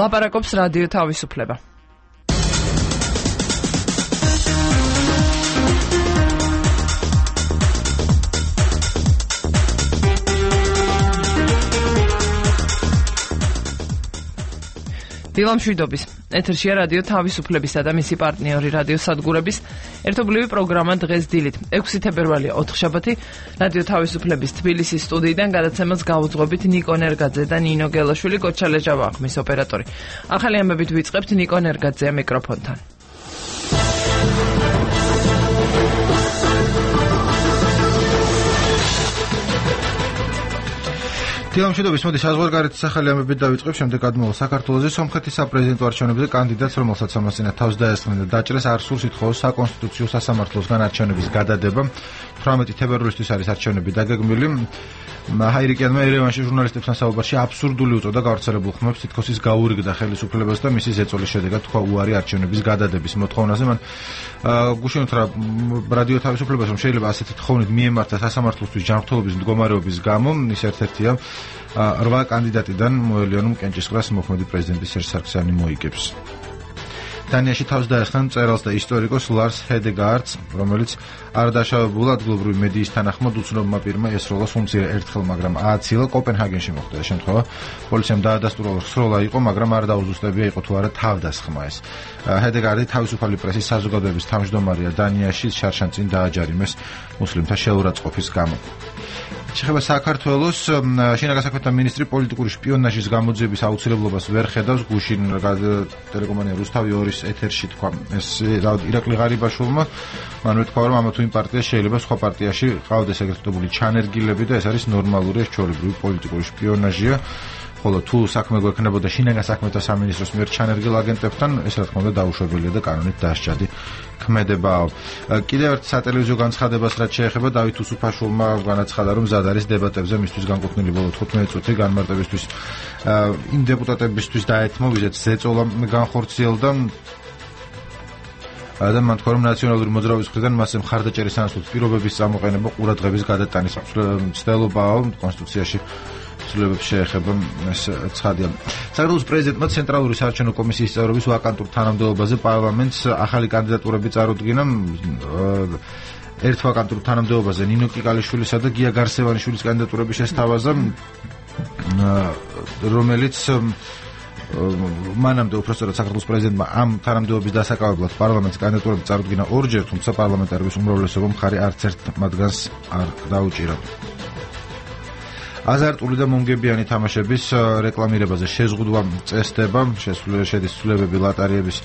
ლაპარაკობს რადიო თავისუფლება. დილამშვიდობის. ეთერშია რადიო თავისუფლებისა და მისი პარტნიორი რადიო სადგურების ერთობლივი პროგრამა დღეს დილით 6 თებერვალია ოთხშაბათი რადიო თავისუფლების თბილისის სტუდიიდან გადაცემას გაუძღვებით ნიკო ნერგაძე და ნინო გელაშვილი, გოჩალე ჟავახმის ოპერატორი. ახალი ამბებით ვიწყებთ ნიკო ნერგაძეა მიკროფონთან. დილამშვიდობის, მოდი საზღვარგარეთის ახალი ამბებით დავიწყებ, შემდეგ გადმოვალ საქართველოზე. სომხეთის საპრეზიდენტო არჩევნებზე კანდიდატს, რომელსაც ამასინა თავს დაესხნენ და დაჭრეს, არ სურს ითხოვოს საკონსტიტუციო სასამართლოსგან არჩევნების გადადება. 18 თებერვლისთვის არის არჩევნები დაგეგმილი. ჰაირიკიანმა ერევანში ჟურნალისტებთან საუბარში აბსურდული უწოდა გავრცელებულ ხმებს, თითქოს ის გაურიგდა ხელისუფლებას და მისი ზეწოლის შედეგად თქვა უარი არჩევნების გადადების მოთხოვნაზე. მან გუშინოთ რა რადიო თავისუფლებას, რომ შეიძლება ასეთი თხოვნით მიემართა სასამართლოსთვის ჯანმრთელობის მდგომარეობის გამო, ის ერთ-ერთია 8 კანდიდატიდან მოელიონում კენჭისყრას მოქმედი პრეზიდენტი სერჟ სარქისიანი მოიგებს. დანიაში თავს დაესხნენ მწერალს და ისტორიკოს ლარს ჰედეგაარდს, რომელიც არ დაშავებულ ადგილობრივი მედიის თანახმად უცნობმა პირმა ესროლა სუმცირე ერთხელ, მაგრამ ააცილა კოპენჰაგენში მოხდა ეს შემთხვევა. პოლიციამ დაადასტურა, რომ სროლა იყო, მაგრამ არ დაუზუსტებია იყო თუ არა თავდასხმა ეს. ჰედეგაარდი თავისუფალი პრესის საზოგადოების თავმჯდომარეა დანიაში, შარშან წინ დააჯარიმეს მუსლიმთა შეურაცხყოფის გამო. შეხება საქართველოს შინაგან საქმეთა მინისტრი პოლიტიკური შპიონაჟის გამოძიების აუცილებლობას ვერ ხედავს. გუშინ ტელეკომპანია რუსთავი 2-ის ეთერში თქვა ეს ირაკლი ღარიბაშვილმა, მან თქვა, რომ ამა თუ იმ პარტია შეიძლება სხვა პარტიაში ყავდეს ეგრეთ წოდებული ჩანერგილები და ეს არის ნორმალური, ეს ჩვეულებრივი პოლიტიკური შპიონაჟია. ხოლო თუ საქმე გვექნებოდა შინაგან საქმეთა სამინისტროს მიერ ჩანერგილ აგენტებთან, ეს რა თქმა უნდა დაუშვებელია და კანონით დასჯადი ქმედებაო. კიდევ ერთ სატელევიზიო განცხადებას რაც შეეხება დავით უსუფაშვილმა განაცხადა, რომ მზად არის დებატებზე მისთვის განკუთვნილი ბოლო 15 წუთი განმარტებისთვის იმ დეპუტატებისთვის დაეთმო, ვიზეთ ზეწოლა განხორციელდა. და მან თქვა, რომ ნაციონალური მოძრაობის მხრიდან მასზე მხარდაჭერის სანაცვლოდ პირობების წამოყენება ყურადღების გადატანის მცდელობაა კონსტიტუციაში ცვლილებებს შეეხება ეს ცხადია. საქართველოს პრეზიდენტმა ცენტრალური საარჩევნო კომისიის წევრობის ვაკანტურ თანამდებობაზე პარლამენტს ახალი კანდიდატურები წარუდგინა. ერთ ვაკანტურ თანამდებობაზე ნინო კიკალიშვილისა და გია გარსევანიშვილის კანდიდატურები შესთავაზა, რომელიც მანამდე უпростоრად საქართველოს პრეზიდენტმა ამ თანამდებობის დასაკავებლად პარლამენტის კანდიდატურები წარუდგინა ორჯერ, თუმცა პარლამენტარების უმრავლესობა მხარი არც ერთ მათგანს არ დაუჭირა. აზარტული და მომგებიანი თამაშების რეკლამირებაზე შეზღუდვა წესდება, შედის ცვლილებები ლატარიების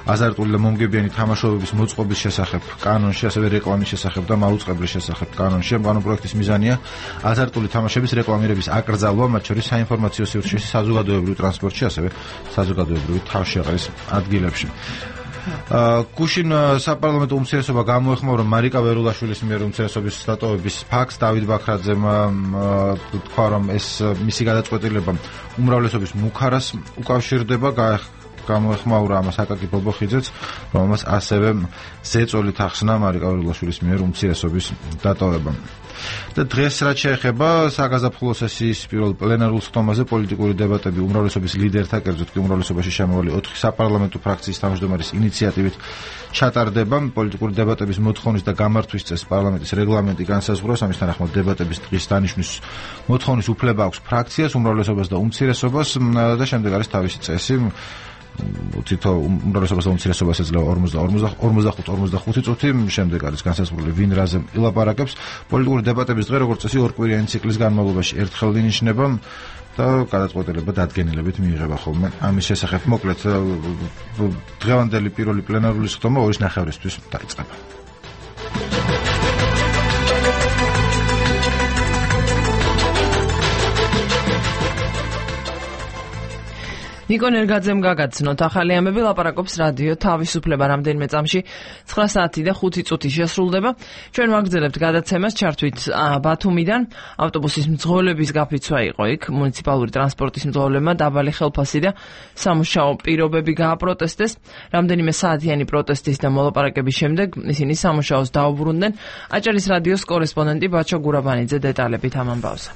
აზარტული და მომგებიანი თამაშობების მოწყობის შესახებ კანონში, ასევე რეკლამის შესახებ და მაუწყებლის შესახებ კანონში. ამ პროექტის მიზანია აზარტული თამაშების რეკლამირების აკრძალვა, მათ შორის საინფორმაციო სივრცეში, საზოგადოებრივ ტრანსპორტში, ასევე საზოგადოებრივი თავშეყრის ადგილებში. გუშინ საპარლამენტო უმცირესობა გამოეხმაურა მარიკა ვერულაშვილის მიერ უმცირესობის დატოვების ფაქტს. დავით ბაქრაძემ თქვა, რომ ეს მისი გადაწყვეტილება უმრავლესობის მუქარას უკავშირდება. გამოეხმაურა ამას აკაკი ბობოხიძეც, რომელმაც ასევე ზეწოლით ახსნა მარიკა ვერულაშვილის მიერ უმცირესობის დატოვება. და დღეს რაც შეეხება საგაზაფხულო სესიის პირველ პლენარულ სხდომაზე პოლიტიკური დებატები უმრავლესობის ლიდერთა, კერძოდ კი უმრავლესობაში შემოვალი 4 საპარლამენტო ფრაქციის თავმჯდომარის ინიციატივით ჩატარდება. პოლიტიკური დებატების მოთხოვნის და გამართვის წესს პარლამენტის რეგლამენტი განსაზღვრავს. ამის თანახმად დებატების დღის დანიშვნის მოთხოვნის უფლება აქვს ფრაქციას, უმრავლესობას და უმცირესობას და შემდეგ არის თავისი წესი. თითო უმრავლესობას და უმცირესობას ეძლევა 45 წუთი, შემდეგ არის განსაზღვრული ვინ რაზე ილაპარაკებს. პოლიტიკური დებატების დღე როგორც წესი ორკვირიანი ციკლის განმავლობაში ერთხელ ინიშნება და გადაწყვეტილება დადგენილებით მიიღება ხოლმე. ამის შესახებ მოკლედ დღევანდელი პირველი პლენარული სხდომა 2:30-ისთვის დაიწყება. ნიკო ნერგაძემ გაგაცნოთ ახალი ამბები, ლაპარაკობს რადიო თავისუფლება. რამდენიმე წამში 9 საათი და 5 წუთი შესრულდება. ჩვენ ვაგრძელებთ გადაცემას, ჩართვით ბათუმიდან. ავტობუსის მძღოლების გაფიცვა იყო იქ. მუნიციპალური ტრანსპორტის მძღოლებმა დაბალი ხელფასი და სამუშაო პირობები გააპროტესტეს. რამდენიმე საათიანი პროტესტის და მოლაპარაკების შემდეგ ისინი სამუშაოს დაუბრუნდნენ. აჭარის რადიოს კორესპონდენტი ბაჩო გურაბანიძე დეტალებით ამ ამბავზე.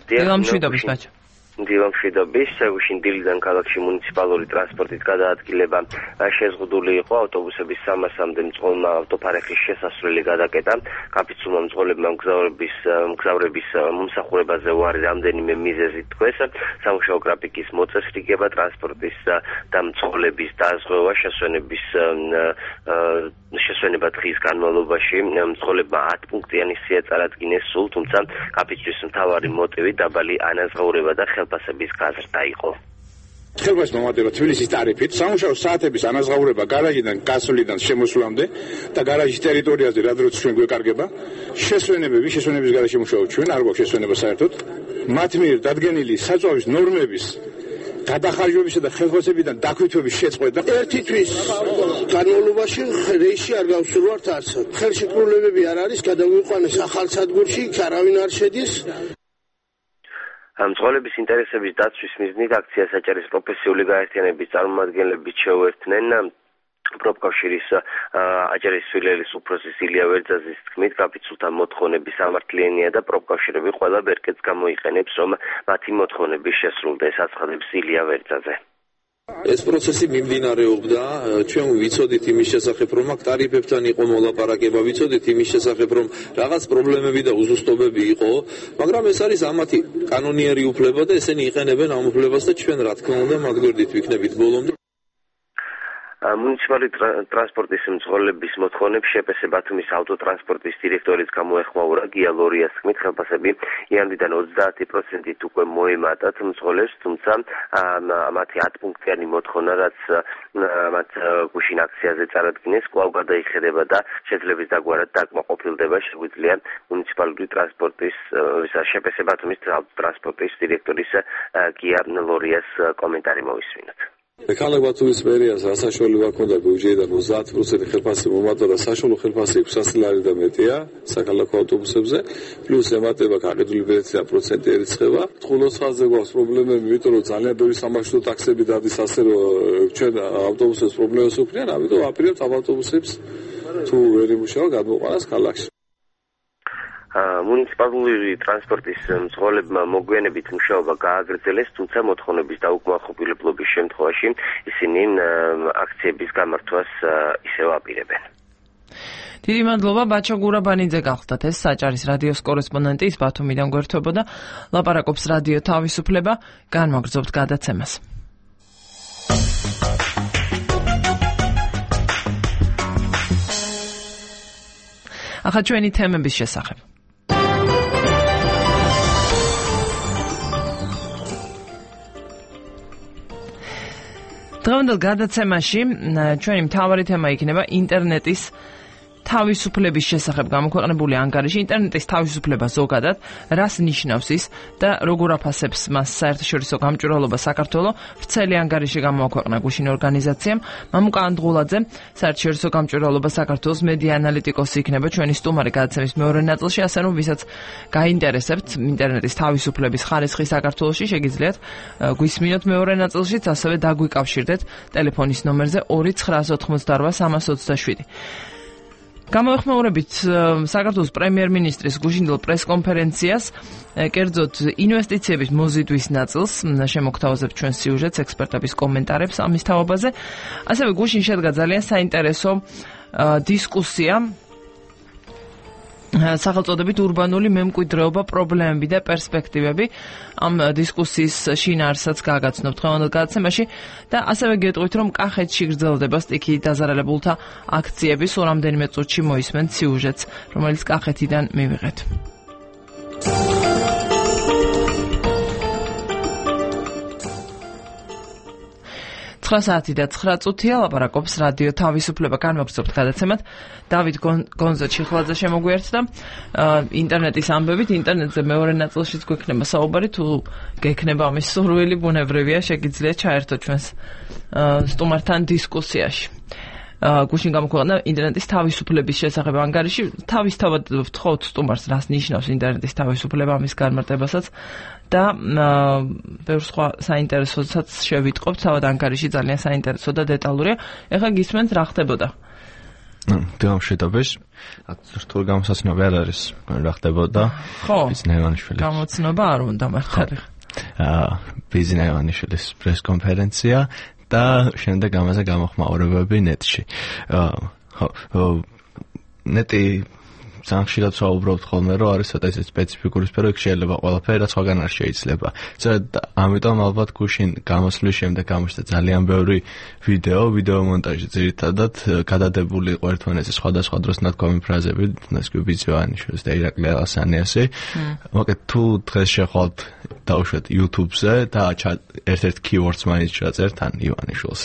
დილამშვიდობის ბაჩო. დილამშვიდობის, გუშინ დილიდან ქალაქში მუნიციპალური ტრანსპორტით გადაადგილება შეზღუდული იყო ავტობუსების 300-მდე ავტოფარეხის შესასვლელი გადაკეტა. კაპიცულმა მძღოლებმა მგზავრების მომსახურებაზე უარი რამდენიმე მიზეზით თქვეს. სამუშაო გრაფიკის მოწესრიგება, ტრანსპორტის და მძღოლების დაზღვევა, შესვენება დღის განმავლობაში მძღოლებმა 10 პუნქტიანი სია წარადგინეს სულ, თუმცა კაპიცულის მთავარი მოტივი დაბალი ანაზღაურება და ხელფასების გაზრდა იყო. ხელფასს მომატება თბილისის ტარიფით, სამუშაო საათების ანაზღაურება გარაჟიდან გასვლიდან შემოსვლამდე და გარაჟის ტერიტორიაზე რა დროც ჩვენ გვეკარგება, შესვენების გარშემო მუშაობთ ჩვენ, არ გვაქვს შესვენება საერთოდ. მათ მიერ დადგენილი საწვავის ნორმების გადახარჯვებისა და ხელფასებიდან დაქვითვების შეწყვეტა. ერთი თვის განმავლობაში რეისში არ გავსურვართ არცად. ხელშეკრულებები არ არის, გადავიყვანეს ახალ სადგურში, არავინ არ შედის. მძღოლების ინტერესების დაცვის მიზნით აქციას აჭარის პროფესიული გაერთიანების წარმომადგენლები შეუერთდნენ. პროფკავშირის აჭარის სულელის უფროსის ილია ვერძაძის თქმით, კაპიცულთა მოთხოვნების სამართლიანია და პროფკავშირები ყველა ბერკეტს გამოიყენებს, რომ მათი მოთხოვნები შესრულდეს, აცხადებს ილია ვერძაძე. ეს პროცესი მიმდინარეობდა, ჩვენ ვიცოდით იმის შესახებ, რომ აქ ტარიფებთან იყო მოლაპარაკება, ვიცოდით იმის შესახებ, რომ რაღაც პრობლემები და უზუსტობები იყო, მაგრამ ეს არის ამათი კანონიერი უფლება და ესენი იყენებენ ამ უფლებას და ჩვენ რა თქმა უნდა მათ გვერდით ვიქნებით ბოლომდე. მუნიციპალური ტრანსპორტის მძღოლების მოთხოვნებს შპს ბათუმის ავტოტრანსპორტის დირექტორის გამოეხმაურა. გია ლორიას თქმით, ხელფასები იანვრიდან 30%-ით უკვე მოემატათ მძღოლებს, თუმცა მათი 10 პუნქტიანი მოთხოვნა, რაც მათ გუშინ აქციაზე წარადგინეს, კვლავ გადაიხედება და შეძლების დაგვარად დაკმაყოფილდება. შეგვიძლია მუნიციპალური ტრანსპორტის შპს ბათუმის ავტოტრანსპორტის დირექტორის გია ლორიას კომენტარი მოვისმინოთ. ქალაქ ბათუმის მერიას რა საშუალება ჰქონდა ბიუჯეტიდან 30% ხელფასი მომატა და საშუალო ხელფასი 600 ლარი და მეტია საქალაქო ავტობუსებზე, პლუს ემატება გაყიდული ბილეთი და პროცენტი ერიცხება. თხულოს ხაზზე გვაქვს პრობლემები, იმიტომ რომ ძალიან ბევრი სამარშრუტო ტაქსები დადის, ასე რომ ჩვენ ავტობუსებს პრობლემას უქმნიან, ამიტომ ვაპირებთ ამ ავტობუსებს თუ ვერ იმუშავა გადმოყვანას ქალაქში. მუნიციპალური ტრანსპორტის მძღოლებმა მოგვიანებით მუშაობა გააგრძელეს, თუმცა მოთხოვნების დაუკმაყოფილებლობის შემთხვევაში ისინი აქციების გამართვას ისევ აპირებენ. დიდი მადლობა ბაჩო გურაბანიძე გახლდათ ეს საჭარის რადიოს კორესპონდენტი ის ბათუმიდან გვერდთვებოდა, ლაპარაკობს რადიო თავისუფლება, განმაგრძობთ გადაცემას. ახლა ჩვენი თემების შესახებ. დღევანდელ გადაცემაში ჩვენი მთავარი თემა იქნება ინტერნეტის თავისუფლების შესახებ გამოქვეყნებული ანგარიში. ინტერნეტის თავისუფლება ზოგადად რას ნიშნავს ის და როგორ აფასებს მას საერთაშორისო გამჭვირვალობა საქართველოს? ვრცელი ანგარიში გამოაქვეყნა გუშინ ორგანიზაციამ. მამუკა ანდღულაძე, საერთაშორისო გამჭვირვალობა საქართველოს მედია ანალიტიკოსი იქნება ჩვენი სტუმარი გადაცემის მეორე ნაწილში, ასე რომ ვისაც გაინტერესებთ ინტერნეტის თავისუფლების ხარისხი საქართველოში, შეგიძლიათ გვისმინოთ მეორე ნაწილშიც, ასევე დაგვიკავშირდეთ ტელეფონის ნომერზე 2-988-327. გამოეხმაურებით საქართველოს პრემიერ-მინისტრის გუშინდელ პრესკონფერენციას, კერძოდ ინვესტიციების მოზიდვის ნაწილს, შემოგთავაზებთ ჩვენ სიუჟეტს, ექსპერტების კომენტარებს ამის თაობაზე. ასევე გუშინ შედგა ძალიან საინტერესო დისკუსია სახელწოდებით ურბანული მემკვიდრეობა, პრობლემები და პერსპექტივები. ამ დისკუსიის შინაარსაც გააგაცნობთ დღევანდელ გადაცემაში და ასევე გეტყვით, რომ კახეთში გრძელდება სტიქიით დაზარალებულთა აქციები. სულ რამდენიმე წუთში მოისმენთ სიუჟეტს, რომელიც კახეთიდან მივიღეთ. 9 საათი და 9 წუთია, ლაპარაკობს რადიო თავისუფლება, განმაგრძობთ გადაცემად. დავით გონზა-ჩიხლაძე შემოგვიერთდა ინტერნეტის ამბებით. ინტერნეტზე მეორე ნაწილშიც გვექნება საუბარი, თუ გექნება ამის სურვილი, ბუნებრივია, შეგიძლიათ ჩაერთოთ ჩვენს სტუმართან დისკუსიაში. გუშინ გამოქვეყნა ინტერნეტის თავისუფლების შესახებ ანგარიში. თავისთავად ვთხოვთ სტუმარს, რას ნიშნავს ინტერნეტის თავისუფლება, ამის განმარტებასაც და ბევრ სხვა საინტერესოსაც შევიტყობთ. თავად ანგარიში ძალიან საინტერესო და დეტალურია. ეხლა გისმენთ რა ხდებოდა? დილამშვიდობის. რთულ გამოსაცნობი არ არის რა ხდებოდა. ხო. ის ნევანიშვილი. გამოცნობა არ უნდა მართალი. ბიზნეს ივანიშვილის პრეს-კონფერენცია და შემდეგ ამაზე გამოხმაურებები ნეტში. ნეტი ძალიან ხშირად ვსაუბრობთ ხოლმე, რომ არის ცოტა ისე სპეციფიკური სფერო, იქ შეიძლება ყველაფერი რაც სხვაგან არ შეიძლება. ამიტომ ალბათ გუშინ გამოსვლის შემდეგ გამოჩნდა ძალიან ბევრი ვიდეო მონტაჟი ძირითადად გადადებული იყო ერთმანეთზე სხვადასხვა დროს ნათქვამი ფრაზები, ნასკუბიც ივანიშვილის და ირაკლი ალასანიასი. მოკეთ თუ დღეს შეხვალთ დავუშვათ YouTube-ზე და ერთ-ერთ keywords მაინც ჩაწერთ ან ივანიშვილს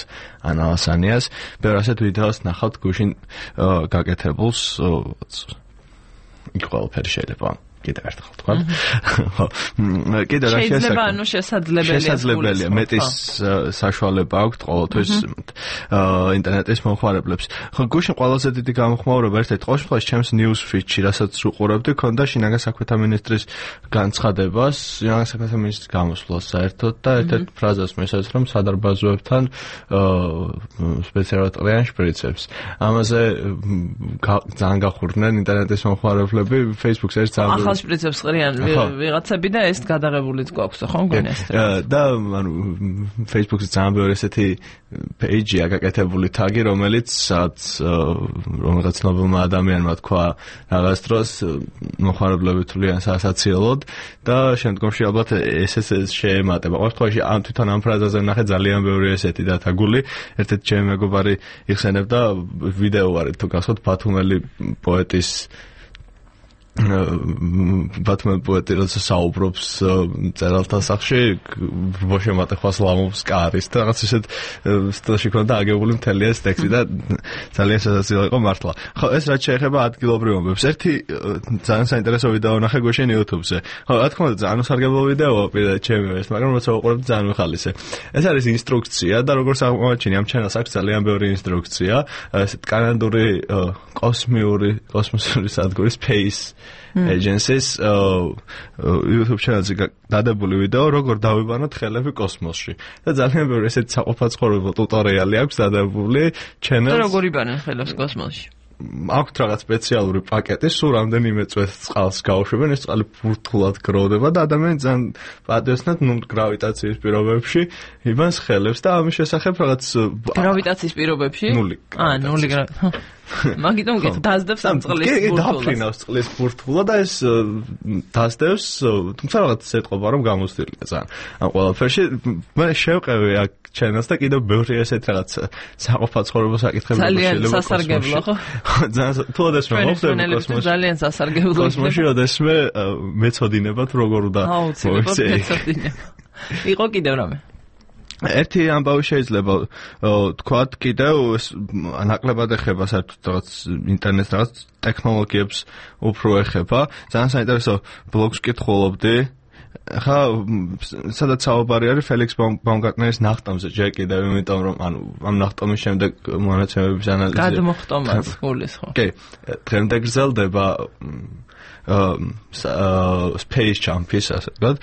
ან ალასანიას, ბევრ ასეთ ვიდეოს ნახავთ გუშინ გაკეთებულს იქ ყველაფერი შეიძლება კიდევ ერთხელ თქვა. ხო. კიდევ რა შეიძლება ანუ შესაძლებელია მეტის საშუალება აქვთ ყოველთვის ინტერნეტის მომხმარებლებს. ხო, გუშინ ყველაზე დიდი გამოხმაურება ერთ-ერთ ყოველთვის ჩემს news feed-ში, რასაც უყურებდი, ქონდა შინაგან საქმეთა მინისტრის განცხადებას, შინაგან საქმეთა მინისტრის გამოსვლას საერთოდ და ერთ-ერთ ფრაზას მეცადეთ, რომ სადარბაზოებთან სპეციალურად შპრიცებს. ამაზე ძალიან გახურდნენ ინტერნეტის მომხმარებლები, Facebook-ზე ერთ ახალ შპრიცებს ყრიან ვიღაცები და ეს გადაღებულიც გვაქვს ხო მგონი ეს და ანუ Facebook-ზე ძალიან ბევრი ესეთი პეიჯია გაკეთებული თაგი, რომელიც რომელიღაც ცნობილმა ადამიანმა თქვა რაღაც დროს მომხმარებლები თვლიან სასაცილოდ და შემდგომში ალბათ ეს შეემატება. ყოველთვის ამ თვითონ ამ ფრაზაზე ნახე ძალიან ბევრი ესეთი დათაგული. ერთ-ერთი ჩემი მეგობარი იხსენებდა ვიდეო არის თუ გახსოვთ ბათუმელი პოეტის ბათუმელი პოეტი როცა საუბრობს წერალთა სახში ბოშემატეხას ლამობს კარის და რაღაც ისეთ სტილში ქონდა აგებული მთელი ეს ტექსტი და ძალიან სასაცილო იყო მართლა. ხო, ეს რაც შეეხება ადგილობრივ მომბებს. ერთი ძალიან საინტერესო ვიდეო ნახე გუშინ YouTube-ზე. ხო, რა თქმა უნდა, ძალიან სარგებლო ვიდეოა პირდაპირ ჩემი ეს, მაგრამ როცა უყურებ ძალიან მიხალისე. ეს არის ინსტრუქცია და როგორც აღმოაჩინე ამ ჩანელს აქვს ძალიან ბევრი ინსტრუქცია, ესეთ კანადური კოსმოსური სადგურის Space Agencies YouTube channel-ზე დადებული ვიდეო, როგორ დავიბანოთ ხელები კოსმოსში. და ძალიან ბევრი ესეთ საყოფაცხოვრებო ტუტორიალი აქვს დადებული channel-ს. და როგორ იბანენ ხელებს კოსმოსში? აქვთ რაღაც სპეციალური პაკეტი, სულ რამდენიმე წვეთ წყალს გაუშვებენ, ეს წყალი ბურთულად გროვდება და ადამიანი ძალიან პატიოსნად გრავიტაციის პირობებში იბანს ხელებს და ამის შესახებ რაღაც გრავიტაციის პირობებში? ნული. ნული მაგიტომ დაძდებს ამ წყლის ბურთულას. დაფრინავს წყლის ბურთულა და ეს დაძდებს, თუმცა რაღაც ეთყობა რომ გამოსtildeა ძალიან. ამ ყველაფერში მე შევყევი აქ channels და კიდევ ბევრი ესეთ რაღაც საყოფაცხოვრებო საკითხები შეიძლება სასარგებლო ხო? ძალიან თუ ოდესმე მოხდება კოსმოსში. ძალიან სასარგებლო. კოსმოსში ოდესმე მეცოდინებათ როგორ უნდა მოიცეdik. იყო კიდევ რამე? ერთი ამბავი შეიძლება თქვათ კიდევ ნაკლებად ეხება საერთოდ რაღაც ინტერნეტს რაღაც ტექნოლოგიებს უფრო ეხება. ძალიან საინტერესო ბლოგს კითხულობდი. ხა სადაც საუბარი არის ფელიქს ბაუმგარტნერის ნახტომზე ჯერ კიდევ, იმიტომ რომ ანუ ამ ნახტომის შემდეგ მონაცემების ანალიზი გადმოხტომაც გულის ხო? კი, დღემდე გრძელდება Space Champions ასე ვთქვათ.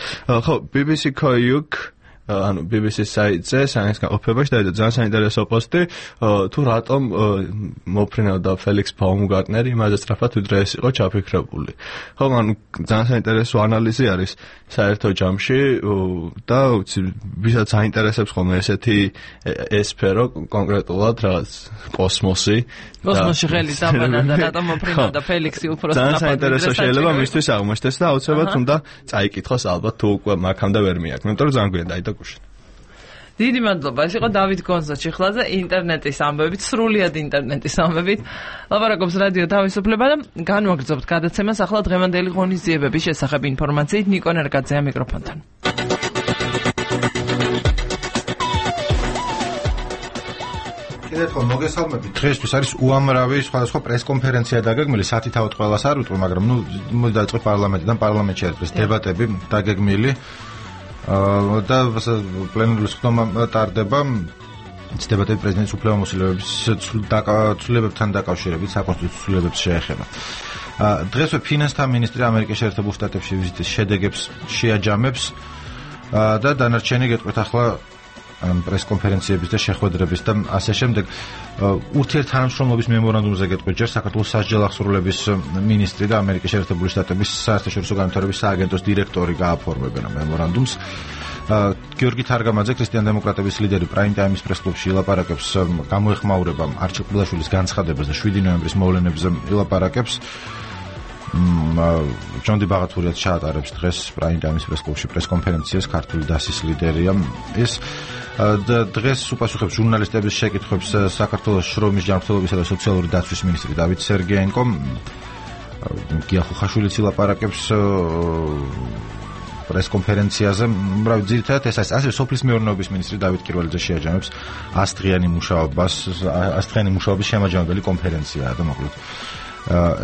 ხო, BBC Koyuk ანუ BBC-ის საიტზე საინტერესო გაყოფებაში და ძალიან საინტერესო პოსტი თუ რატომ მოფრინავდა ფელიქს ბაუმგარტნერი იმაზე სწრაფად ვიდრე ეს იყო ჩაფიქრებული. ხო, ანუ ძალიან საინტერესო ანალიზი არის საერთო ჯამში და ვისაც აინტერესებს ხოლმე ესეთი სფერო კონკრეტულად რაღაც კოსმოსი კოსმოსში ხელი დაბანა და რატომ მოფრინავდა ფელიქსი უფრო სწრაფად. ძალიან საინტერესო შეიძლება მისთვის აღმოჩნდეს და აუცილებლად უნდა წაიკითხოს ალბათ თუ უკვე მაგამდე ვერ მიაქვს. იმიტომ რომ ძალიან გვიან დაიწყო. დიდი მადლობა. ეს იყო დავით გონზა ჩიხლაძე, ინტერნეტის ამბებით, სრულიად ინტერნეტის ამბებით. ლაპარაკობს რადიო თავისუფლება და განვაგრძობთ გადაცემას ახლა დღევანდელი ღონისძიებების შესახებ ინფორმაციით ნიკო ნერგაძეა მიკროფონთან. კიდევ ხო მოგესალმებით. დღეისთვის არის უამრავი სხვადასხვა პრესკონფერენცია დაგეგმილი, სათითაოდ ყველას არ ვიტყვი, მაგრამ მოდი დაიწყო პარლამენტიდან, პარლამენტში არის დებატები დაგეგმილი. და პლენარული სხდომა ტარდება დებატები პრეზიდენტის უფლებამოსილების ცვლილებებთან დაკავშირებით, საკონსტიტუციო ცვლილებებს შეეხება. დღესვე ფინანსთა მინისტრი ამერიკის შეერთებულ შტატებში ვიზიტის შედეგებს შეაჯამებს და დანარჩენი გეტყვით ახლა პრესკონფერენციების და შეხვედრების და ასე შემდეგ. ურთიერთთანამშრომლობის მემორანდუმზე გეტყვით ჯერ საქართველოს სასჯელ აღსრულების მინისტრი და ამერიკის შეერთებული შტატების საერთაშორისო განვითარების სააგენტოს დირექტორი გააფორმებენ მემორანდუმს. გიორგი თარგამაძე, ქრისტიან-დემოკრატების ლიდერი, პრაიმ ტაიმის პრესკლუბში ილაპარაკებს, გამოეხმაურება არჩილ ყბილაშვილის განცხადებას და 7 ნოემბრის მოვლენებზე ილაპარაკებს. ჯონდი ბაღათურიაც ჩაატარებს დღეს პრაიმ ტაიმის პრესკლუბში პრესკონფერენციას, ქართული დასის ლიდერია. ეს დღეს უპასუხებს ჟურნალისტების შეკითხვებს საქართველოს შრომის ჯანმრთელობისა და სოციალური დაცვის მინისტრი დავით სერგეენკო. გია ხუხაშვილიც ილაპარაკებს პრესკონფერენციაზე. ძირითადად ეს არის ასევე სოფლის მეურნეობის მინისტრი დავით კირველიძე შეაჯამებს ასდღიანი მუშაობის შემაჯამებელი კონფერენციაა და მოკლედ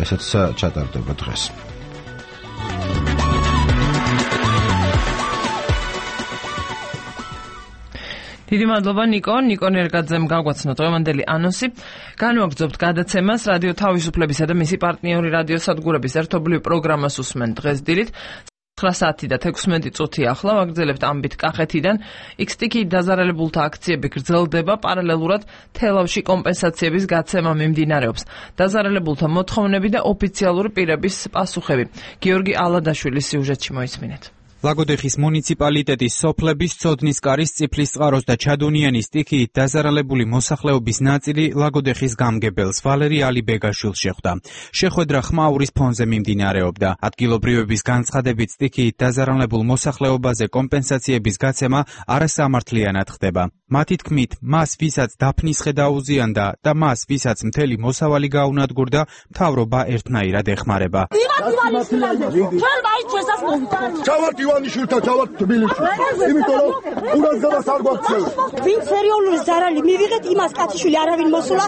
ესეც ჩატარდება დღეს. დიდი მადლობა ნიკო ერგაძემ გაგვაცნო დღევანდელი ანონსი. განვაგრძობთ გადაცემას რადიო თავისუფლებისა და მისი პარტნიორი რადიოსადგურების ერთობლივ პროგრამას უსმენ დღეს დილით 9 საათი და 16 წუთი ახლა ვაგრძელებთ ამბით კახეთიდან. XTK დაზარალებულთა აქციები გრძელდება, პარალელურად თელავში კომპენსაციების გაცემა მიმდინარეობს. დაზარალებულთა მოთხოვნები და ოფიციალური პირების პასუხები. გიორგი ალადაშვილის სიუჟეტში მოისმინეთ. ლაგოდეხის მუნიციპალიტეტის სოფლების ცოდნისკარის, წიფლისწყაროს და ჩადუნიანის სტიქიით დაზარალებული მოსახლეობის ნაწილი ლაგოდეხის გამგებელს ვალერი ალიბეგაშვილს შეხვდა. შეხვედრა ხმაურის ფონზე მიმდინარეობდა. ადგილობრივების განცხადებით სტიქიით დაზარალებულ მოსახლეობაზე კომპენსაციების გაცემა არასამართლიანად ხდება. მათი თქმით, მას ვისაც დაფნის ხედა აუზიანდა და მას ვისაც მთელი მოსავალი გაუნადგურდა, მთავრობა ერთნაირად ეხმარება. ივანიშვილთან ჩავართ თბილისში. იმიტომ რომ ყურადღებას არ გვაქცევს. ვინ სერიოზული ზარალი მივიღეთ, იმას კაციშვილი არავინ მოსულა,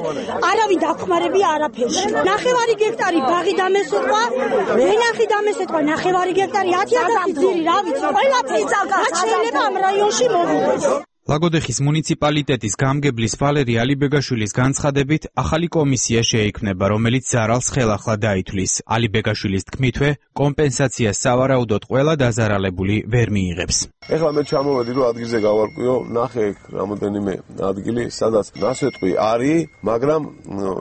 არავინ დახმარებია არაფერში. 9 გექტარი ბაღი დამესოყვა, ვენახი დამესოყვა 9 გექტარი 10,000 ძირი, რა ვიცი, ყველაფერი შეიძლება ამ რაიონში მოვიდეს. ლაგოდეხის მუნიციპალიტეტის გამგებლის ვალერი ალიბეგაშვილის განცხადებით ახალი კომისია შეიქმნება, რომელიც ზარალს ხელახლა დაითვლის. ალიბეგაშვილის თქმითვე, კომპენსაციას სავარაუდოდ ყველა დაზარალებული ვერ მიიღებს. ეხლა მე ჩამოვედი, რომ ადგილზე გავარკვიო, ნახე რამოდენიმე ადგილი, სადაც ნასეტყვი არის, მაგრამ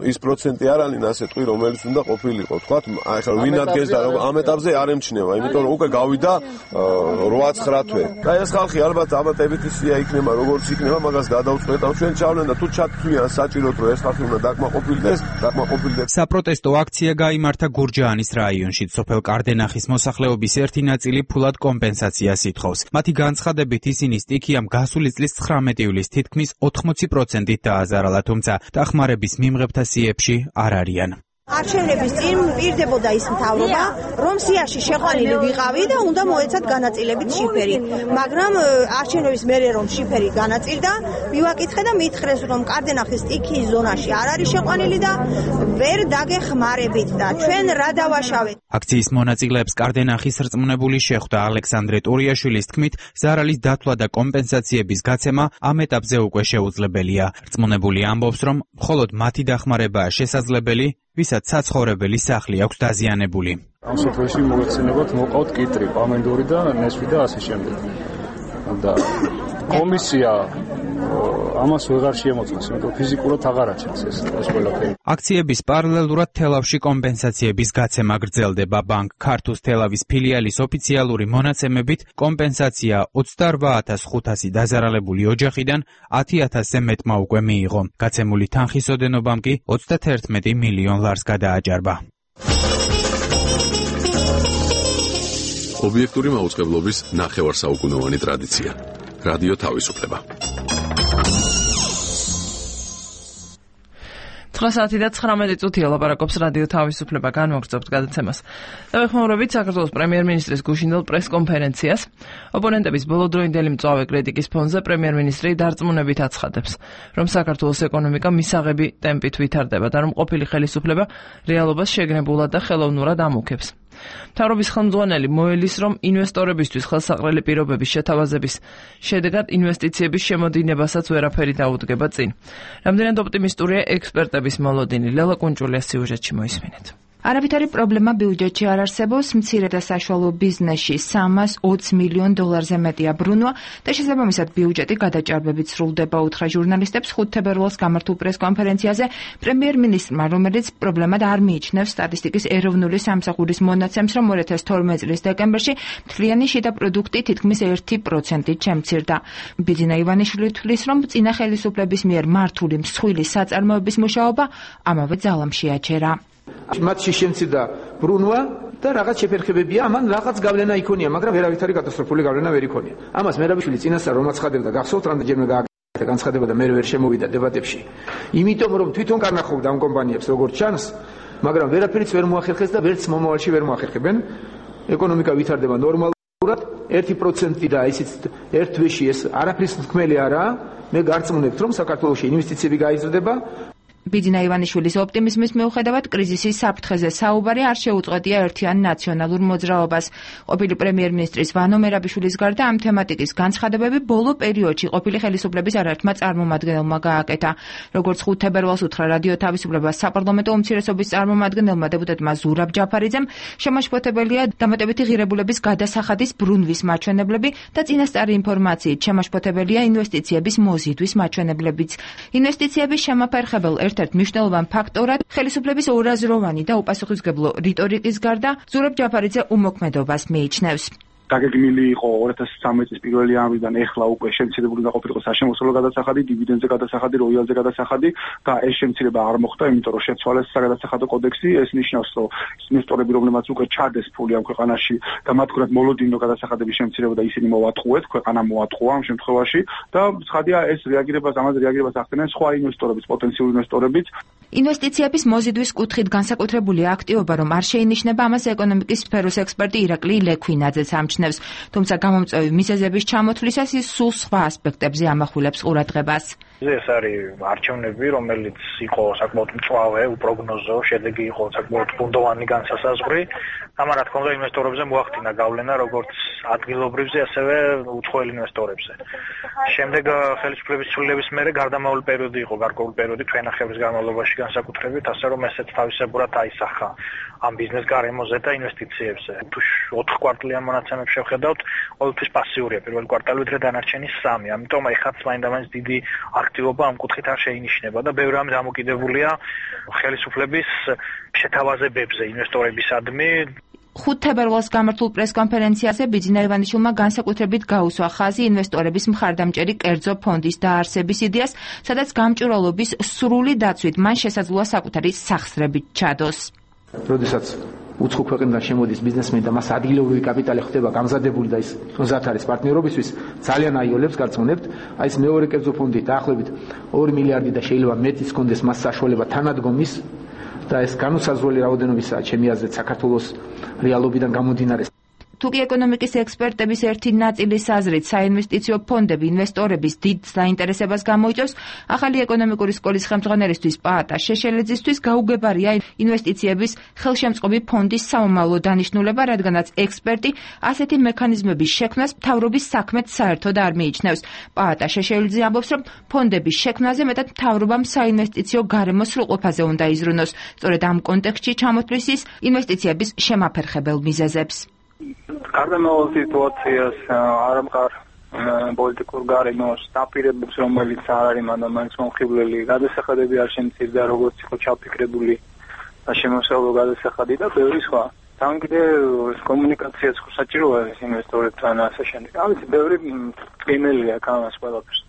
ის პროცენტი არ არის ნასეტყვი, რომელიც უნდა ყოფილიყო. თქვათ, ეხლა ვინ ადგეს და ამ ეტაპზე არ ემჩნევა, იმიტომ რომ უკვე გავიდა 8-9 თვე. და ეს ხალხი ალბათ აბატებითი სია იქნება, როგორც იქნება, მაგას გადავწყვეტ, ჩვენ ჩავლენ და თუ ჩათვლიან საჭიროდ, რომ ეს ხალხი უნდა დაკმაყოფილდეს. საპროტესტო აქცია გაიმართა გურჯაანის რაიონში. სოფელ კარდენახის მოსახლეობის ერთი ნაწილი ფულად კომპენსაციას ითხოვს. მათი განცხადებით ისინი სტიქიამ გასული წლის 19 ივლისს თითქმის 80%-ით დააზარალა, თუმცა დახმარების მიმღებთა სიებში არ არიან. არჩევნების წინ პირდებოდა ის მთავრობა, რომ სიაში შეყვანილი ვიყავი და უნდა მოეცათ განაწილებით შიფერი. მაგრამ არჩევნების მერე რომ შიფერი განაწილდა, მივაკითხე და მითხრეს, რომ კარდენახის სტიქიის ზონაში არ არის შეყვანილი და ვერ დაგეხმარებით და ჩვენ რა დავაშავეთ. აქციის მონაწილეებს კარდენახის რწმუნებული შეხვდა. ალექსანდრე ტურიაშვილის თქმით, ზარალის დათვლა და კომპენსაციების გაცემა ამ ეტაპზე უკვე შეუძლებელია. რწმუნებული ამბობს, რომ მხოლოდ მათი დახმარებაა შესაძლებელი, ვისაც საცხოვრებელი სახლი აქვს დაზიანებული. ამ სოფელში მოგეხსენებათ, მოყავთ კიტრი, პამენდური და ნესვი და ასე შემდეგ. და კომისია ამას ვეღარ შეემოწმეს, იმიტომ ფიზიკურად აღარ აჩენს ეს ყველაფერი. აქციების პარალელურად თელავში კომპენსაციების გაცემა გრძელდება. ბანკ ქართუს თელავის ფილიალის ოფიციალური მონაცემებით კომპენსაცია 28,500 დაზარალებული ოჯახიდან 10,000-ზე მეტმა უკვე მიიღო. გაცემული თანხის ოდენობამ კი 31 მილიონ ლარს გადააჭარბა. ობიექტური მაუწყებლობის ნახევარსაუკუნოვანი ტრადიცია. რადიო თავისუფლება. 9 საათი და 19 წუთია ლაპარაკობს რადიო თავისუფლება, განვაგრძობთ გადაცემას. დავეხმაურებით საქართველოს პრემიერ-მინისტრის გუშინდელ პრესკონფერენციას. ოპონენტების ბოლოდროინდელი მწვავე კრიტიკის ფონზე პრემიერ-მინისტრი დარწმუნებით აცხადებს, რომ საქართველოს ეკონომიკა მისაღები ტემპით ვითარდება და რომ ყოფილი ხელისუფლება რეალობას შეგნებულად და ხელოვნურად ამუქებს. მთავრობის ხელმძღვანელი მოელის, რომ ინვესტორებისთვის ხელსაყრელი პირობების შეთავაზების შედეგად ინვესტიციების შემოდინებასაც ვერაფერი დაუდგება წინ. რამდენად ოპტიმისტურია ექსპერტების მოლოდინი? ლელა კუნჭულიას სიუჟეტში მოისმინეთ. არავითარი პრობლემა ბიუჯეტში არ არსებობს, მცირე და საშუალო ბიზნესში 320 მილიონ დოლარზე მეტია ბრუნვა და შესაბამისად ბიუჯეტი გადაჭარბებით სრულდება, უთხრა ჟურნალისტებს 5 თებერვალს გამართულ პრესკონფერენციაზე პრემიერ-მინისტრმა, რომელიც პრობლემად არ მიიჩნევს სტატისტიკის ეროვნული სამსახურის მონაცემს, რომ 2012 წლის დეკემბერში მთლიანი შიდა პროდუქტი თითქმის 1%-ით შემცირდა. ბიძინა ივანიშვილი თვლის, რომ წინა ხელისუფლების მიერ მართული მსხვილი საწარმოების მუშაობა ამავე ძალამში აჩერა. მათში შემცირდა ბრუნვა და რაღაც შეფერხებებია, ამან რაღაც გავლენა იქონია, მაგრამ ვერავითარი კატასტროფული გავლენა ვერ იქონია. ამას მერაბიშვილი წინასწარ რომ აცხადებდა, გახსოვთ რამდენჯერმე გააკეთა განცხადება და მე ვერ შემოვიდა დებატებში. იმიტომ რომ თვითონ განახობდა ამ კომპანიებს როგორც ჩანს, მაგრამ ვერაფერიც ვერ მოახერხეს და ვერც მომავალში ვერ მოახერხებენ. ეკონომიკა ვითარდება ნორმალურად, 1% და ისიც ერთ თვეში ეს არაფრის თქმელი არაა. მე გარწმუნებთ, რომ საქართველოში ინვესტიციები გაიზრდება. ბიძინა ივანიშვილის ოპტიმიზმის მიუხედავად კრიზისის საფრთხეზე საუბარი არ შეუწყვეტია ერთიან ნაციონალურ მოძრაობას. ყოფილი პრემიერ-მინისტრის ვანო მერაბიშვილის გარდა ამ თემატიკის განცხადებები ბოლო პერიოდში ყოფილი ხელისუფლების არაერთმა წარმომადგენელმა გააკეთა. როგორც 5 თებერვალს უთხრა რადიო თავისუფლებას საპარლამენტო უმცირესობის წარმომადგენელმა დეპუტატმა ზურაბ ჯაფარიძემ, შემაშფოთებელია დამატებითი ღირებულების გადასახადის ბრუნვის მაჩვენებლები და წინასწარი ინფორმაციით შემაშფოთებელია ინვესტიციების მოზიდვის მაჩვენებლებიც. ინვესტიციების შემაფერხებელ ერთ-ერთ მნიშვნელოვან ფაქტორად ხელისუფლების ორაზროვანი და უპასუხისმგებლო რიტორიკის გარდა ზურაბ ჯაფარიძე უმოქმედობას მიიჩნევს. დაგეგმილი იყო 2013 წლის 1 იანვრიდან ეხლა უკვე შემცირებული უნდა ყოფილიყო საშემოსავლო გადასახადი, დივიდენდზე გადასახადი, როიალზე გადასახადი და ეს შემცირება არ მოხდა, იმიტომ რომ შეცვალეს საგადასახადო კოდექსი. ეს ნიშნავს, რომ ინვესტორები, რომლებმაც უკვე ჩადეს ფული ამ ქვეყანაში და მათ მხრად მოლოდინო გადასახადების შემცირება და ისინი მოატყუეთ, ქვეყანა მოატყუა ამ შემთხვევაში და ცხადია ეს ამაზე რეაგირებას ახდენენ სხვა ინვესტორებიც, პოტენციური ინვესტორებიც. ინვესტიციების მოზიდვის კუთხით განსაკუთრებული აქტივობა რომ არ შეინიშნება, ამას ეკონომიკის სფეროს ექსპერტი ირაკლი ლექვინაძეც ამჩნევს. თუმცა გამომწვევი მიზეზების ჩამოთვლისას ის სულ სხვა ასპექტებზე ამახვილებს ყურადღებას. ეს არის არჩევნები, რომელიც იყო საკმაოდ მწვავე, უპროგნოზო, შედეგი იყო საკმაოდ ბუნდოვანი განსასაზღვრი. ამან რა თქმა უნდა ინვესტორებზე მოახდინა გავლენა როგორც ადგილობრივზე, ასევე უცხოელ ინვესტორებზე. შემდეგ ხელისუფლების ცვლილების მერე გარდამავალ პერიოდი იყო, გარკვეული პერიოდი თვენახევრის განმავლობაში განსაკუთრებით, ასე რომ ესეც თავისებურად აისახა ამ ბიზნეს გარემოზე და ინვესტიციებზე. თუ 4 კვარტალიან მონაცემებს შევხედავთ, ყოველთვის პასიურია პირველი კვარტალი, ვიდრე დანარჩენი 3. ამიტომ აი ხაც მაინდა-მაინც დიდი აქტივობა ამ კუთხით არ შეინიშნება და ბევრი რამ დამოკიდებულია ხელისუფლების შეთავაზებებზე ინვესტორებისადმი. 5 თებერვალს გამართულ პრესკონფერენციაზე ბიძინა ივანიშვილმა განსაკუთრებით გაუსვა ხაზი ინვესტორების მხარდამჭერი კერძო ფონდის დაარსების იდეას, სადაც გამჭვირვალობის სრული დაცვით მან შესაძლოა საკუთარი სახსრებით ჩადოს. როდესაც უცხო ქვეყნიდან შემოდის ბიზნესმენი და მას ადგილობრივი კაპიტალი ხდება გამზადებული და ის მზად არის პარტნიორობისთვის, ძალიან აიოლებს გარწმუნებთ. აი ეს მეორე კერძო ფონდი დაახლოებით 2 მილიარდი და შეიძლება მეტიც კონდეს მას საშუალება თანადგომის და ეს განუსაზღვრელი რაოდენობისაა ჩემი აზრით საქართველოს რეალობიდან გამომდინარე. თუკი ეკონომიკის ექსპერტების ერთი ნაწილის აზრით საინვესტიციო ფონდები ინვესტორების დიდ საინტერესებას გამოიწვევს, ახალი ეკონომიკური სკოლის ხელმძღვანელისთვის პაატა შეშელიძისთვის გაუგებარია ინვესტიციების ხელშემწყობი ფონდის სამომავლო დანიშნულება, რადგანაც ექსპერტი ასეთი მექანიზმების შექმნას მთავრობის საქმედ საერთოდ არ მიიჩნევს. პაატა შეშელიძე ამბობს, რომ ფონდების შექმნაზე მეტად მთავრობამ საინვესტიციო გარემოს სრულყოფაზე უნდა იზრუნოს. სწორედ ამ კონტექსტში ჩამოთვლის ის ინვესტიციების შემაფერხებელ მიზეზებს. გარდამავალ სიტუაციას არამყარ პოლიტიკურ გარემოს დაპირებებს, რომელიც არ არის მანდ-მაინც მომხიბვლელი, გადასახადები არ შემცირდა, როგორც იყო ჩაფიქრებული და შემოსავლო გადასახადი და ბევრი სხვა. თან კიდევ კომუნიკაციაც საჭიროა ინვესტორებთან ასე შემდეგ. ამის ბევრი ყინელია გამას ყველაფერს.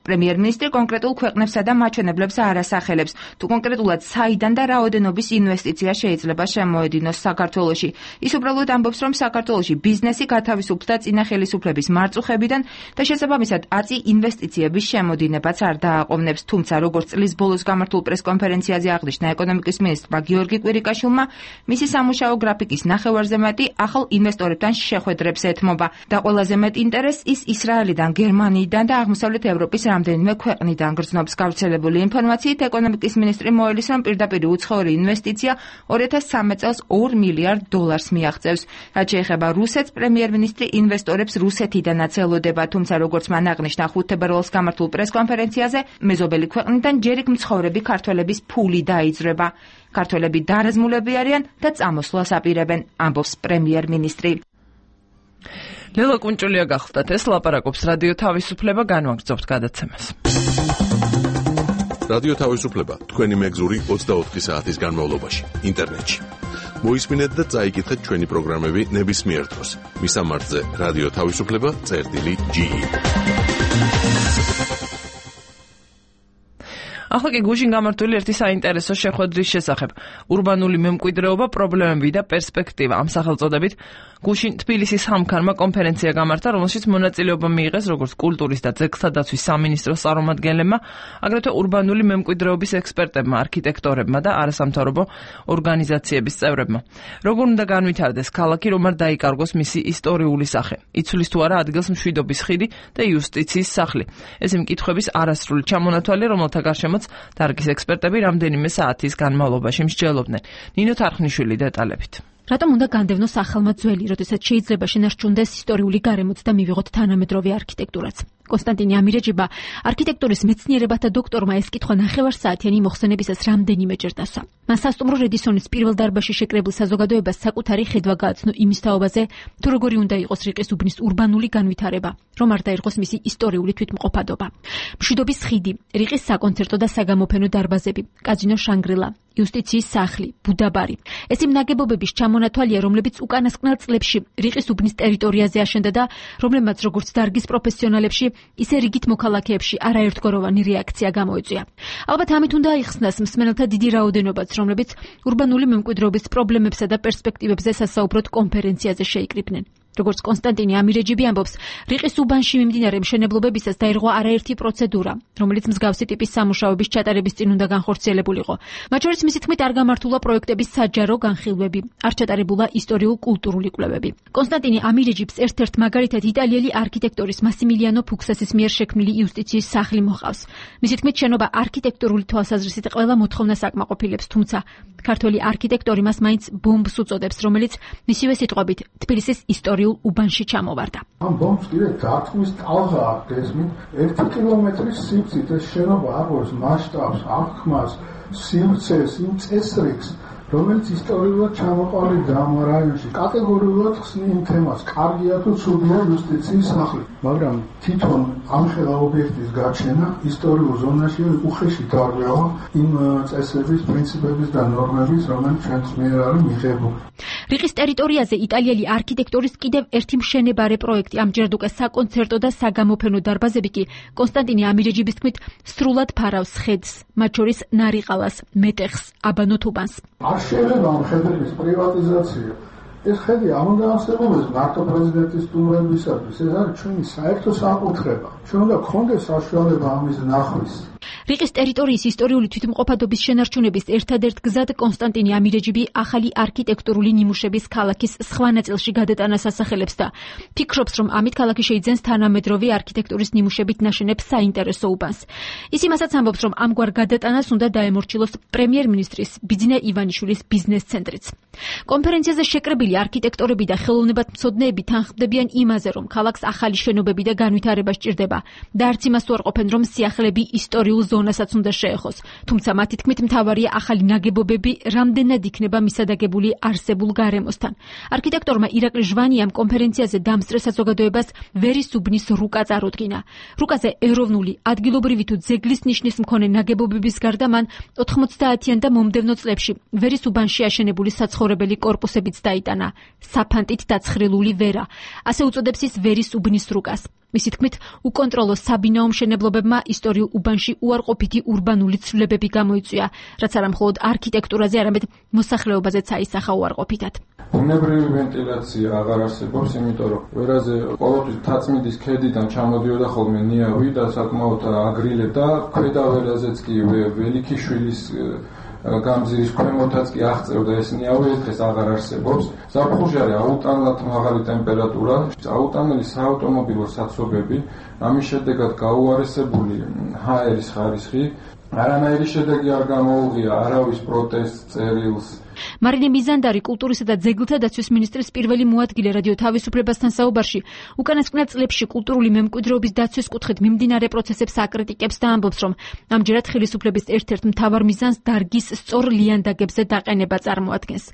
პრემიერ-მინისტრი კონკრეტულ ქვეყნებსა და მაჩვენებლებს არ ასახელებს, თუ კონკრეტულად საიდან და რაოდენობის ინვესტიცია შეიძლება შემოედინოს საქართველოში. ის უბრალოდ ამბობს, რომ საქართველოში ბიზნესი გათავისუფლდა წინა ხელისუფლების მარწუხებიდან და შესაბამისად აწი ინვესტიციების შემოდინებაც არ დააყოვნებს. თუმცა, როგორც წლის ბოლოს გამართულ პრესკონფერენციაზე აღნიშნა ეკონომიკის მინისტრმა გიორგი კვირიკაშვილმა, მისი სამუშაო გრაფიკის ნახევარზე მეტი ახალ ინვესტორებთან შეხვედრებს ეთმობა და ყველაზე მეტ ინტერესს ის ისრაელიდან, გერმანიიდან და აღმოსავლეთ ევროპის რამდენიმე ქვეყნიდან გრძნობს. გავრცელებული ინფორმაციით ეკონომიკის მინისტრი მოელის, რომ პირდაპირ უცხოური ინვესტიცია 2013 წელს $2 მილიარდ მიაღწევს. რაც შეეხება რუსეთს, პრემიერ-მინისტრი ინვესტორებს რუსეთიდანაც ელოდება, თუმცა როგორც მან აღნიშნა 5 თებერვალს გამართულ პრესკონფერენციაზე, მეზობელი ქვეყნიდან ჯერ იქ მცხოვრები ქართველების ფული დაიძრება. ქართველები დარაზმულები არიან და წამოსვლას აპირებენ, ამბობს პრემიერ-მინისტრი. ლელა კუნჭულია გახლდათ, ეს ლაპარაკობს რადიო თავისუფლება, განვაგრძობთ გადაცემას. რადიო თავისუფლება თქვენი მეგზური 24 საათის განმავლობაში ინტერნეტში. მოისმინეთ და წაიკითხეთ ჩვენი პროგრამები ნებისმიერ დროს. მისამართზე რადიო თავისუფლება.ge. ახლა კი გუშინ გამართული ერთი საინტერესო შეხვედრის შესახებ. ურბანული მემკვიდრეობა, პრობლემები და პერსპექტივა. ამ სახელწოდებით გუშინ თბილისის სამქარმა კონფერენცია გამართა, რომელშიც მონაწილეობა მიიღეს როგორც კულტურის და ძეგლთა დაცვის სამინისტროს წარმომადგენლებმა, აგრეთვე ურბანული მემკვიდრეობის ექსპერტებმა, არქიტექტორებმა და არასამთავრობო ორგანიზაციების წევრებმა. როგორ უნდა განვითარდეს ქალაქი, რომ არ დაიკარგოს მისი ისტორიული სახე? იცვლის თუ არა ადგილს მშვიდობის ხიდი და იუსტიციის სახლი? ეს იმ კითხვების არასრული ჩამონათვალია, რომელთა გარშემოც დარგის ექსპერტები რამდენიმე საათის განმავლობაში მსჯელობდნენ. ნინო თარხნიშვილი დეტალებით. რატომ უნდა განდევნოს ახალმა ძველი, როდესაც შეიძლება შენარჩუნდეს ისტორიული გარემოც და მივიღოთ თანამედროვე არქიტექტურაც? კონსტანტინე ამირეჯიბა, არქიტექტურის მეცნიერებათა დოქტორმა ეს კითხვა ნახევარსაათიანი მოხსენებისას რამდენიმეჯერ დასვა. მან სასტუმრო რედისონის პირველ დარბაზში შეკრებილ საზოგადოებას საკუთარი ხედვა გააცნო იმის თაობაზე, თუ როგორი უნდა იყოს რიყის უბნის ურბანული განვითარება, რომ არ დაერღოს მისი ისტორიული თვითმყოფადობა. მშვიდობის ხიდი, რიყის საკონცერტო და საგამოფენო დარბაზები, კაზინო შანგრილა, იუსტიციის სახლი, ბუდაბარი. ეს იმ ნაგებობების ჩამონათვალია, რომლებიც უკანასკნელ წლებში რიყის უბნის ტერიტორიაზე აშენდა და რომლებმაც როგორც დარგის პროფესიონალებში, ისე რიგით მოქალაქეებში არაერთგვაროვანი რეაქცია გამოიწვია. ალბათ ამით უნდა აიხსნას მსმენელთა დიდი რაოდენობაც, რომლებიც ურბანული მემკვიდრეობის პრობლემებსა და პერსპექტივებზე სასაუბროდ კონფერენციაზე შეიკრიბნენ. როგორც კონსტანტინე ამირეჯიბი ამბობს, რიყის უბანში მიმდინარე მშენებლობებისას დაირღვა არაერთი პროცედურა, რომელიც მსგავსი ტიპის სამუშაოების ჩატარების წინ უნდა განხორციელებულიყო. მათ შორის მისი თქმით არ გამართულა პროექტების საჯარო განხილვები, არ ჩატარებულა ისტორიულ-კულტურული კვლევები. კონსტანტინე ამირეჯიბს ერთ-ერთ მაგალითად იტალიელი არქიტექტორის მასიმილიანო ფუქსასის მიერ შექმნილი იუსტიციის სახლი მოყავს. მისი თქმით, შენობა არქიტექტურული თვალსაზრისით ყველა მოთხოვნას აკმაყოფილებს, თუმცა ქართველი არქიტექტორი მას მაინც ბომბს უწოდებს, რომელიც მისივე სიტყვებით თბილისის ისტორიულ უბანში ჩამოვარდა. ამ ბომბს კიდე დარტყმის ტალღა არ გესმით, 1 კილომეტრის სიგრძით ეს შენობა აღოს მასშტაბს, აღქმას, სიმწეს, იმ წესრიგს, რომელიც ისტორიულად ჩამოყალიბდა ამ რაიონში. კატეგორიულად ხსნი იმ თემას, კარგია თუ ცუდია იუსტიციის სახლი, მაგრამ თვითონ ამხელა ობიექტის გაჩენა ისტორიულ ზონაში უხეში დარღვევა იმ წესების, პრინციპების და ნორმების, რომელიც ჩვენს მიერ არის მიღებული. რიყის ტერიტორიაზე იტალიელი არქიტექტორის კიდევ ერთი მშენებარე პროექტი, ამჯერად უკვე საკონცერტო და საგამოფენო დარბაზები კი კონსტანტინე ამირეჯიბის თქმით სრულად ფარავს ხედს, მათ შორის ნარიყალას, მეტეხს, აბანო თუბანს. არ შეიძლება ამ ხედების პრივატიზაცია. ეს ხედი არ უნდა არსებობდეს მარტო პრეზიდენტის სტუმრებისათვის, ეს არის ჩვენი საერთო საკუთრება. ჩვენ უნდა გქონდეს საშუალება ამის ნახვის. რიყის ტერიტორიის ისტორიული თვითმყოფადობის შენარჩუნების ერთადერთ გზად კონსტანტინე ამირეჯიბი ახალი არქიტექტურული ნიმუშების ქალაქის სხვა ნაწილში გადატანას ასახელებს და ფიქრობს, რომ ამით ქალაქი შეიძენს თანამედროვე არქიტექტურის ნიმუშებით ნაშენებ საინტერესო უბანს. ის იმასაც ამბობს, რომ ამგვარ გადატანას უნდა დაემორჩილოს პრემიერ-მინისტრის ბიძინა ივანიშვილის ბიზნეს ცენტრიც. კონფერენციაზე შეკრებილი არქიტექტორები და ხელოვნებათმცოდნეები თანხმდებიან იმაზე, რომ ქალაქს ახალი შენობები და განვითარება სჭირდება და არც იმას უარყოფენ, რომ სიახლეები ისტორიულ ზონასაც უნდა შეეხოს. თუმცა მათი თქმით მთავარია ახალი ნაგებობები რამდენად იქნება მისადაგებული არსებულ გარემოსთან. არქიტექტორმა ირაკლი ჟვანიამ კონფერენციაზე დამსწრე საზოგადოებას ვერის უბნის რუკა წარუდგინა. რუკაზე ეროვნული, ადგილობრივი თუ ძეგლის ნიშნის მქონე ნაგებობების გარდა მან 90-იან და მომდევნო წლებში ვერის უბანში აშენებული საცხოვრებელი კორპუსებიც დაიტანა. საფანტით დაცხრილული ვერა. ასე უწოდებს ის ვერის უბნის რუკას. მისი თქმით, უკონტროლო საბინაო მშენებლობებმა ისტორიულ უბანში უარყოფითი ურბანული ცვლილებები გამოიწვია, რაც არა მხოლოდ არქიტექტურაზე, არამედ მოსახლეობაზეც აისახა უარყოფითად. ბუნებრივი ვენტილაცია აღარ არსებობს, იმიტომ რომ ვერაზე ყოველთვის თაწმინდის ქედიდან ჩამოდიოდა ხოლმე ნიავი და საკმაოდ აგრილებდა, ქვედა ვერაზეც კი ველიქიშვილის გამზირის ქვემოთაც კი აღწევდა ეს ნიავი, დღეს აღარ არსებობს. ზაფხულში აუტანლად მაღალი ტემპერატურა, აუტანელი საავტომობილო საცობები, ამის შედეგად გაუარესებული ჰაერის ხარისხი, არანაირი შედეგი არ გამოუღია არავის პროტესტს, წერილს. მარინე მიზანდარი კულტურისა და ძეგლთა დაცვის მინისტრის პირველი მოადგილე რადიო თავისუფლებასთან საუბარში უკანასკნელ წლებში კულტურული მემკვიდრეობის დაცვის კუთხით მიმდინარე პროცესებს აკრიტიკებს და ამბობს, რომ ამჯერად ხელისუფლების ერთ-ერთ მთავარ მიზანს დარგის სწორ ლიანდაგებზე დაყენება წარმოადგენს.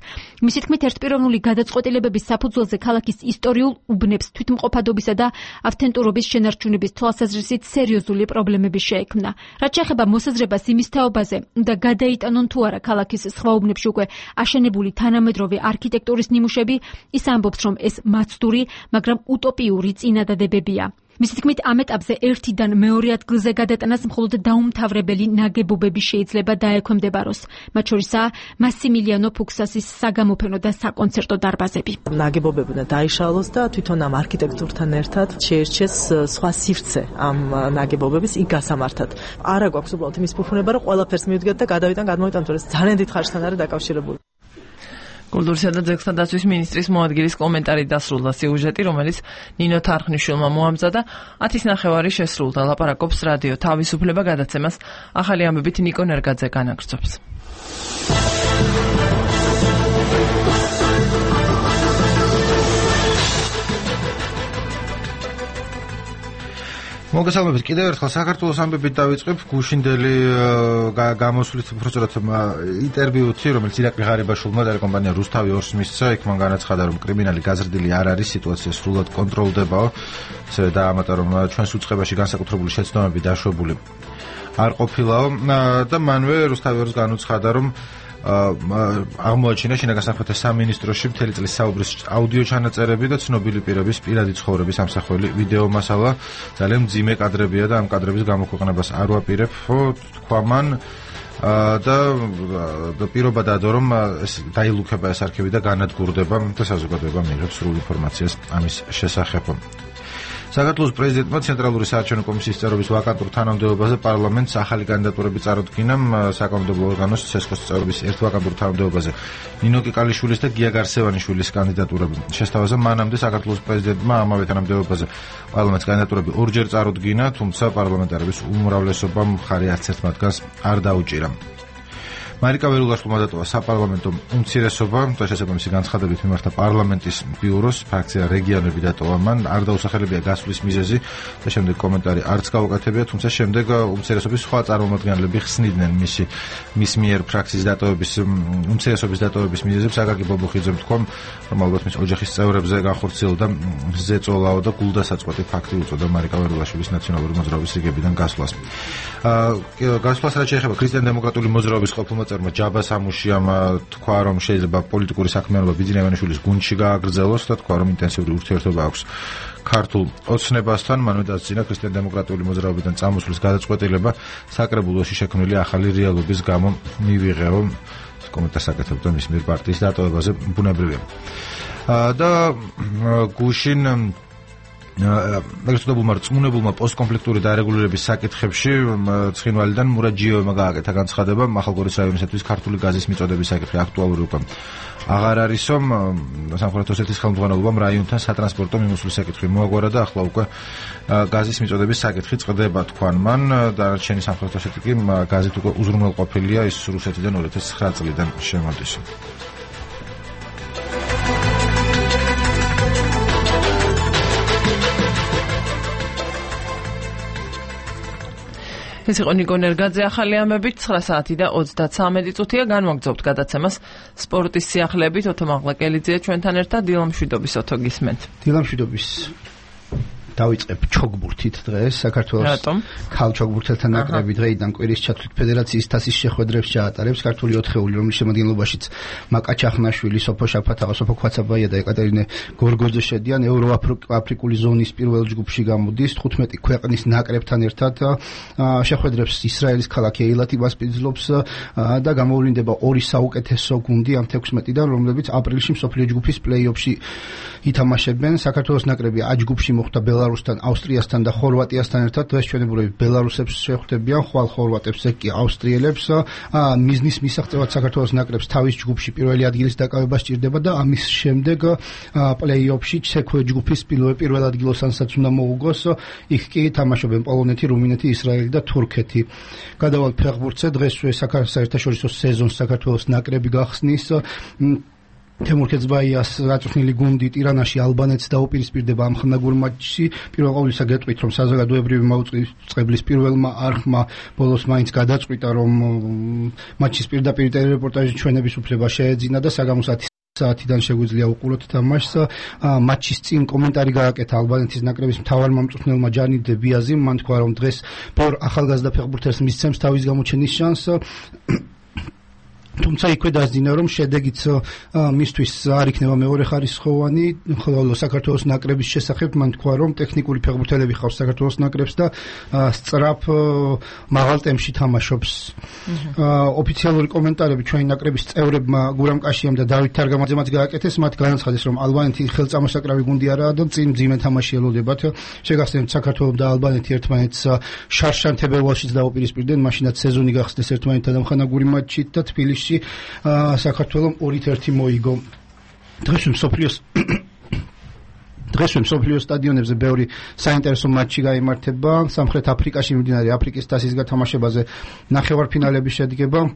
მისი თქმით, ერთპიროვნული გადაწყვეტილებების საფუძველზე ქალაქის ისტორიულ უბნებს თვითმყოფადობისა და ავთენტურობის შენარჩუნების თვალსაზრისით სერიოზული პრობლემები შეექმნა. რაც შეეხება მოსაზრებას იმის თაობაზე, უნდა გადაიტანონ თუ არა ქალაქის სხვა უბნებში უკვე აშენებული თანამედროვე არქიტექტურის ნიმუშები, ის ამბობს, რომ ეს მაცდური, მაგრამ утоპიური წინადადებებია. მისი თქმით, ამ ეტაპზე ერთიდან მეორე ადგილზე გადატანას მხოლოდ დაუმთავრებელი ნაგებობები შეიძლება დაექვემდებაროს. მათ შორისაა მასიმილიანო ფუქსასის საგამოფენო და საკონცერტო დარბაზები. ნაგებობები უნდა დაიშალოს და თვითონ ამ არქიტექტურთან ერთად შეერჩეს სხვა სივრცე ამ ნაგებობების იქ გასამართად. არა გვაქვს უბრალოდ იმის ფუფუნება, რომ ყველაფერს მივდგეთ და გადმოვიტანთ, ეს ძალიან დიდ ხარჯთან არის დაკავშირებული. კულტურისა და ძეგლთა დაცვის მინისტრის მოადგილის კომენტარი დასრულდა სიუჟეტი, რომელიც ნინო თარხნიშვილმა მოამზადა. 10:30 შესრულდა. ლაპარაკობს რადიო თავისუფლება გადაცემას ახალი ამბებით ნიკო ნერგაძე განაგრძობს. მოგესალმებით კიდევ ერთხელ საქართველოს ამბებით დავიწყებ გუშინდელი გამოსვლით უბრალოდ ინტერვიუთი, რომელიც ირაკლი ღარიბაშვილმა ტელეკომპანია რუსთავი 2-ს მისცა, იქ მან განაცხადა, რომ კრიმინალი გაზრდილი არ არის, სიტუაცია სრულად კონტროლდებაო, ისე დაამატა, რომ ჩვენს უწყებაში განსაკუთრებული შეცდომები დაშვებული არ ყოფილაო და მანვე რუსთავი 2-ს განუცხადა, რომ აღმოაჩინა შინაგან საქმეთა სამინისტროში მთელი წლის საუბრის აუდიო ჩანაწერები და ცნობილი პირების პირადი ცხოვრების ამსახველი ვიდეო მასალა. ძალიან მძიმე კადრებია და ამ კადრების გამოქვეყნებას არ ვაპირებ, თქვა მან და პირობა დადო, რომ ეს დაილუქება ეს არქივი და განადგურდება და საზოგადოება მიიღებს სრულ ინფორმაციას ამის შესახებ. საქართველოს პრეზიდენტმა ცენტრალური საარჩევნო კომისიის წევრობის ვაკანტურ თანამდებობაზე პარლამენტს ახალი კანდიდატურები წარუდგინა. საკანონმდებლო ორგანოს ცესკოს წევრობის ერთ ვაკანტურ თანამდებობაზე ნინო კიკალიშვილის და გია გარსევანიშვილის კანდიდატურები შესთავაზა. მანამდე საქართველოს პრეზიდენტმა ამავე თანამდებობაზე პარლამენტს კანდიდატურები ორჯერ წარუდგინა, თუმცა პარლამენტარების უმრავლესობამ მხარი არც ერთ მათგანს არ დაუჭირა. მარიკა ველულაშვილმა დატოვა საპარლამენტო უმცირესობა და შესაბამისი განცხადებით მიმართა პარლამენტის ბიუროს, ფრაქცია რეგიონები დატოვა მან, არ დაუსახელებია გასვლის მიზეზი და შემდეგ კომენტარი არც გაუკეთებია, თუმცა შემდეგ უმცირესობის სხვა წარმომადგენლები ხსნიდნენ მის მიერ ფრაქციის დატოვების უმცირესობის დატოვების მიზეზებს. აკაკი ბობოხიძემ თქვა, რომ ალბათ მის ოჯახის წევრებზე განხორციელდა ზეწოლაო და გულდასაწყვეტი ფაქტი უწოდა მარიკა ველულაშვილის ნაციონალური მოძრაობის რიგებიდან გასვლას. გასვლას რაც შეეხება ქრისტიან-დემოკრატიული მოძრაობის ყოფილმა ჯაბა სამუშიამ თქვა, რომ შეიძლება პოლიტიკური საქმიანობა ბიძინა ივანიშვილის გუნდში გააგრძელოს და თქვა, რომ ინტენსიური ურთიერთობა აქვს ქართულ ოცნებასთან. მანვე დასძინა ქრისტიან-დემოკრატიული მოძრაობიდან წამოსვლის გადაწყვეტილება საკრებულოში შექმნილი ახალი რეალობის გამო მივიღეო. კომენტარს აკეთებდა მის მიერ პარტიის დატოვებაზე, ბუნებრივია. და გუშინ მეგრწოდებულმა რწმუნებულმა პოსტკონფლიქტური დარეგულირების საკითხებში ცხინვალიდან მურაჯიევმა გააკეთა განცხადება. მახალგორის რაიონისათვის ქართული გაზის მიწოდების საკითხი აქტუალური უკვე აღარ არისო. სამხრეთ ოსეთის ხელმძღვანელობამ რაიონთან სატრანსპორტო მიმოსვლის საკითხი მოაგვარა და ახლა უკვე გაზის მიწოდების საკითხი წყდება, თქვან მან. დანარჩენი სამხრეთ ოსეთი კი გაზით უკვე უზრუნველყოფილია, ის რუსეთიდან 2009 წლიდან შემოდის. ეს იყო ნიკო ნერგაძე ახალი ამბებით 9 საათი და 33 წუთია. განვაგრძობთ გადაცემას სპორტის სიახლეებით. ოთო მაღლაკელიძეა ჩვენთან ერთად. დილამშვიდობის ოთო გისმენთ. დილამშვიდობის. დავიწყებ ჩოგბურთით დღეს. საქართველოს ქალჩოგბურთელთა ნაკრები დღეიდან კვირის ჩათვლით ფედერაციის თასის შეხვედრებს ჩაატარებს. ქართული ოთხეული, რომლის შემადგენლობაშიც მაკა ჩახნაშვილი, სოფო შაფათაღა, სოფო ქვაცაბაია და ეკატერინე გორგოძე შედიან. ევროაფრიკული ზონის პირველ ჯგუფში გამოდის 15 ქვეყნის ნაკრებთან ერთად. შეხვედრებს ისრაელის ქალაქი ეილათი მასპინძლობს და გამოვლინდება ორი საუკეთესო გუნდი ამ 16-დან, რომლებიც აპრილში მსოფლიო ჯგუფის პლეი-ოფში ითამაშებენ. საქართველოს ნაკრები A ჯგუფში მოხვდა ბელარუსის ბელარუსთან, ავსტრიასთან და ხორვატიასთან ერთად დღეს ჩვენებურები ბელარუსებს შეხვდებიან, ხვალ ხორვატებს, ეგ კი ავსტრიელებს. მიზნის მისაღწევად საქართველოს ნაკრებს თავის ჯგუფში პირველი ადგილის დაკავება სჭირდება და ამის შემდეგ პლეი-ოფში ჩექვე ჯგუფის პირველ ადგილოსანაც უნდა მოუგოს. იქ კი თამაშობენ პოლონეთი, რუმინეთი, ისრაელი და თურქეთი. გადავალ ფეხბურთზე დღესვე საერთაშორისო სეზონს საქართველოს ნაკრები გახსნის. თემურ ქეცბაიას აწვრთნილი გუნდი ტირანაში ალბანეთს დაუპირისპირდება ამ ხნაგურ მატჩში. პირველ ყოვლისა გეტყვით, რომ საზოგადოებრივი მაუწყებლის პირველმა არხმა ბოლოს მაინც გადაწყვიტა, რომ მატჩის პირდაპირ ტელერეპორტაჟი ჩვენების უფლება შეეძინა და საგამოს 10 საათიდან შეგვიძლია უყუროთ თამაშს. მატჩის წინ კომენტარი გააკეთა ალბანეთის ნაკრების მთავარმა მწვრთნელმა ჯანი დებიაზიმ. მან თქვა, რომ დღეს ბორ ახალგაზრდა ფეხბურთელს მისცემს თავის გამოჩენის შანსს. თუმცა იქვე დასძინა, რომ შედეგიც მისთვის არ იქნება მეორე ხარისხოვანი, ხოლო საქართველოს ნაკრების შესახებ მან თქვა, რომ ტექნიკური ფეხბურთელები ხავს საქართველოს ნაკრებს და სწრაფ მაღალ ტემპში თამაშობს. ოფიციალური კომენტარები ჩვენი ნაკრების წევრებმა გურამ კაშიამ და დავით თარგამაძემაც გააკეთეს, მათ განაცხადეს, რომ ალბანეთი ხელწამოსაკრავი გუნდი არაა და წინ მძიმე თამაში ელოდებათ. შეგახსენებთ, საქართველოს და ალბანეთი ერთმანეთს შარშან თებერვალშიც დაუპირისპირდნენ, მაშინაც სეზონი გახსნეს ერთმანეთთან ამხანაგური მატჩით და თბილისში საქართველოს 2-1 მოიგო. დღეს მსოფლიოს სტადიონებზე ბევრი საინტერესო მატჩი გაიმართება. სამხრეთ აფრიკაში მიმდინარე აფრიკის თასის გათამაშებაზე ნახევარფინალები შედგება.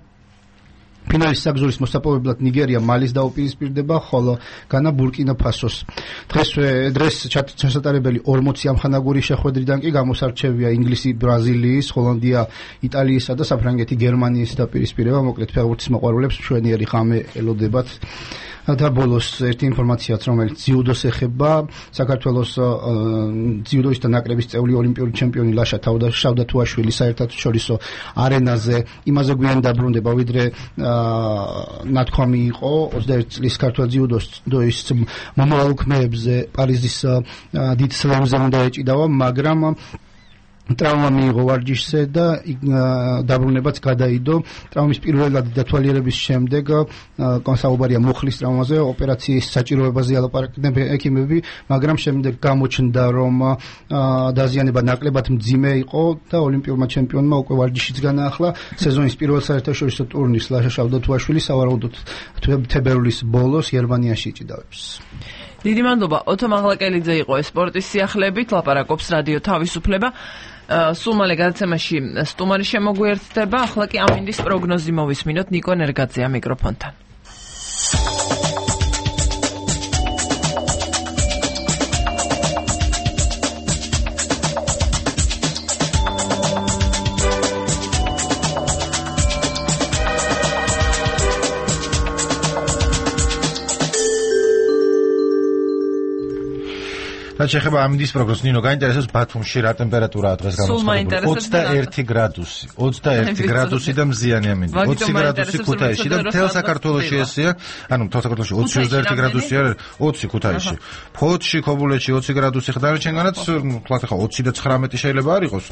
ფინალის საგზურის მოსაპოვებლად ნიგერია მალის დაუპირისპირდება, ხოლო განა ბურკინა ფასოს. დღეს ჩასატარებელი 40 ამხანაგური შეხვედრიდან კი გამოსარჩევია ინგლისი, ბრაზილიის, ჰოლანდია, იტალიისა და საფრანგეთი გერმანიის დაპირისპირება. მოკლედ ფეხბურთის მოყვარულებს მშვენიერი ღამე ელოდებათ. და ბოლოს ერთი ინფორმაციაც, რომელიც ძიუდოს ეხება, საქართველოს ძიუდოისტთა ნაკრების წევრი ოლიმპიური ჩემპიონი ლაშა შავდათუაშვილი საერთაშორისო არენაზე იმაზე გვიან დაბრუნდება, ვიდრე ნათქვამი იყო 21 წლის ქართველ ძიუდოის მომავალ ქმეებზე პარიზის დიდ სლემზე უნდა ეჭიდავა, მაგრამ ტრავმა მიიღო ვარჯიშზე და დაბრუნებაც გადაიდო. ტრავმის პირველადი დათვალიერების შემდეგ საუბარია მუხლის ტრავმაზე, ოპერაციის საჭიროებაზე ალაპარაკდნენ ექიმები, მაგრამ შემდეგ გამოჩნდა, რომ დაზიანება ნაკლებად მძიმე იყო და ოლიმპიურმა ჩემპიონმა უკვე ვარჯიშიც განაახლა. სეზონის პირველ საერთაშორისო ტურნირს ლაშა შავდათუაშვილი სავარაუდოდ თებერვლის ბოლოს გერმანიაში იჭიდავებს. დიდი მადლობა. ოთო მაღლაკელიძე იყო სპორტის სიახლეებით, ლაპარაკობს რადიო თავისუფლება. სულ მალე გადაცემაში სტუმარი შემოგვიერთდება, ახლა კი ამინდის პროგნოზი მოვისმინოთ ნიკო ნერგაძეა მიკროფონთან. რაც შეეხება ამინდის პროგნოზს, ნინო, გაინტერესებს ბათუმში რა ტემპერატურაა დღეს გამოცხადებული? 21 გრადუსი. 21 გრადუსი და მზიანი ამინდი. 20 გრადუსი ქუთაისში და მთელ საქართველოში ესეა. ანუ მთელ საქართველოში 21 გრადუსი არის, 20 ქუთაისში. ფოთში, ქობულეთში 20 გრადუსი ხდარჩენგანაც, თქვათ ახლა 20 და 19 შეიძლება არ იყოს,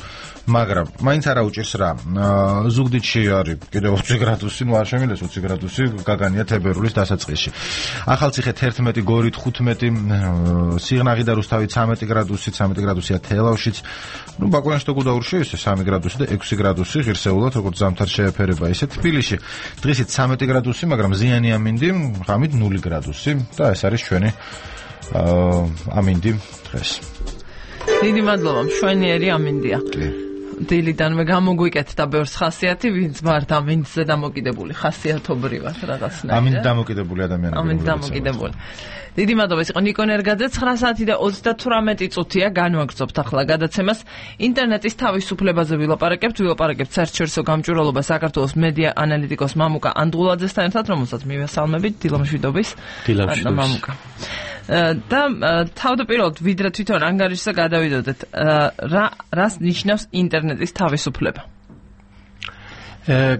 მაგრამ მაინც არა უჭირს რა. ზუგდიდში არის კიდე 20 გრადუსი, ნუ არ შემილეს 20 გრადუსი, გაგანია თებერვლის დასაწყისში. ახალციხე 11, გორით 15, სიღნაღი და რუსთავი 13 გრადუსი, 13 გრადუსია თელავშიც. ნუ ბაკურიანში და გუდაურში ისე 3 გრადუსი და 6 გრადუსი ღირსეულად, როგორც ზამთარ შეეფერება ისე. თბილისში დღისით 13 გრადუსი, მაგრამ ზიანი ამინდი, ღამით 0 გრადუსი და ეს არის ჩვენი ამინდი დღეს. დიდი მადლობა, მშვენიერი ამინდია. დილიდანვე გამოგვიკეთდა ბევრს ხასიათი, ვინც მართ ამინდზე დამოკიდებული ხასიათობრივად რაღაცნაირად. ამინდ დამოკიდებული ადამიანები. ამინდ დამოკიდებული. დიდი მადლობა, ეს იყო ნიკო ნერგაძე. 9 საათი და 38 წუთია, განვაგრძობთ ახლა გადაცემას. ინტერნეტის თავისუფლებაზე ვილაპარაკებთ საერთაშორისო გამჭვირვალობა საქართველოს მედია ანალიტიკოს მამუკა ანდღულაძესთან ერთად, რომელსაც მივესალმებით, დილამშვიდობის. მამუკა. და თავდაპირველად ვიდრე თვითონ ანგარიშზე გადავიდოდეთ, რას ნიშნავს ინტერნეტის თავისუფლება?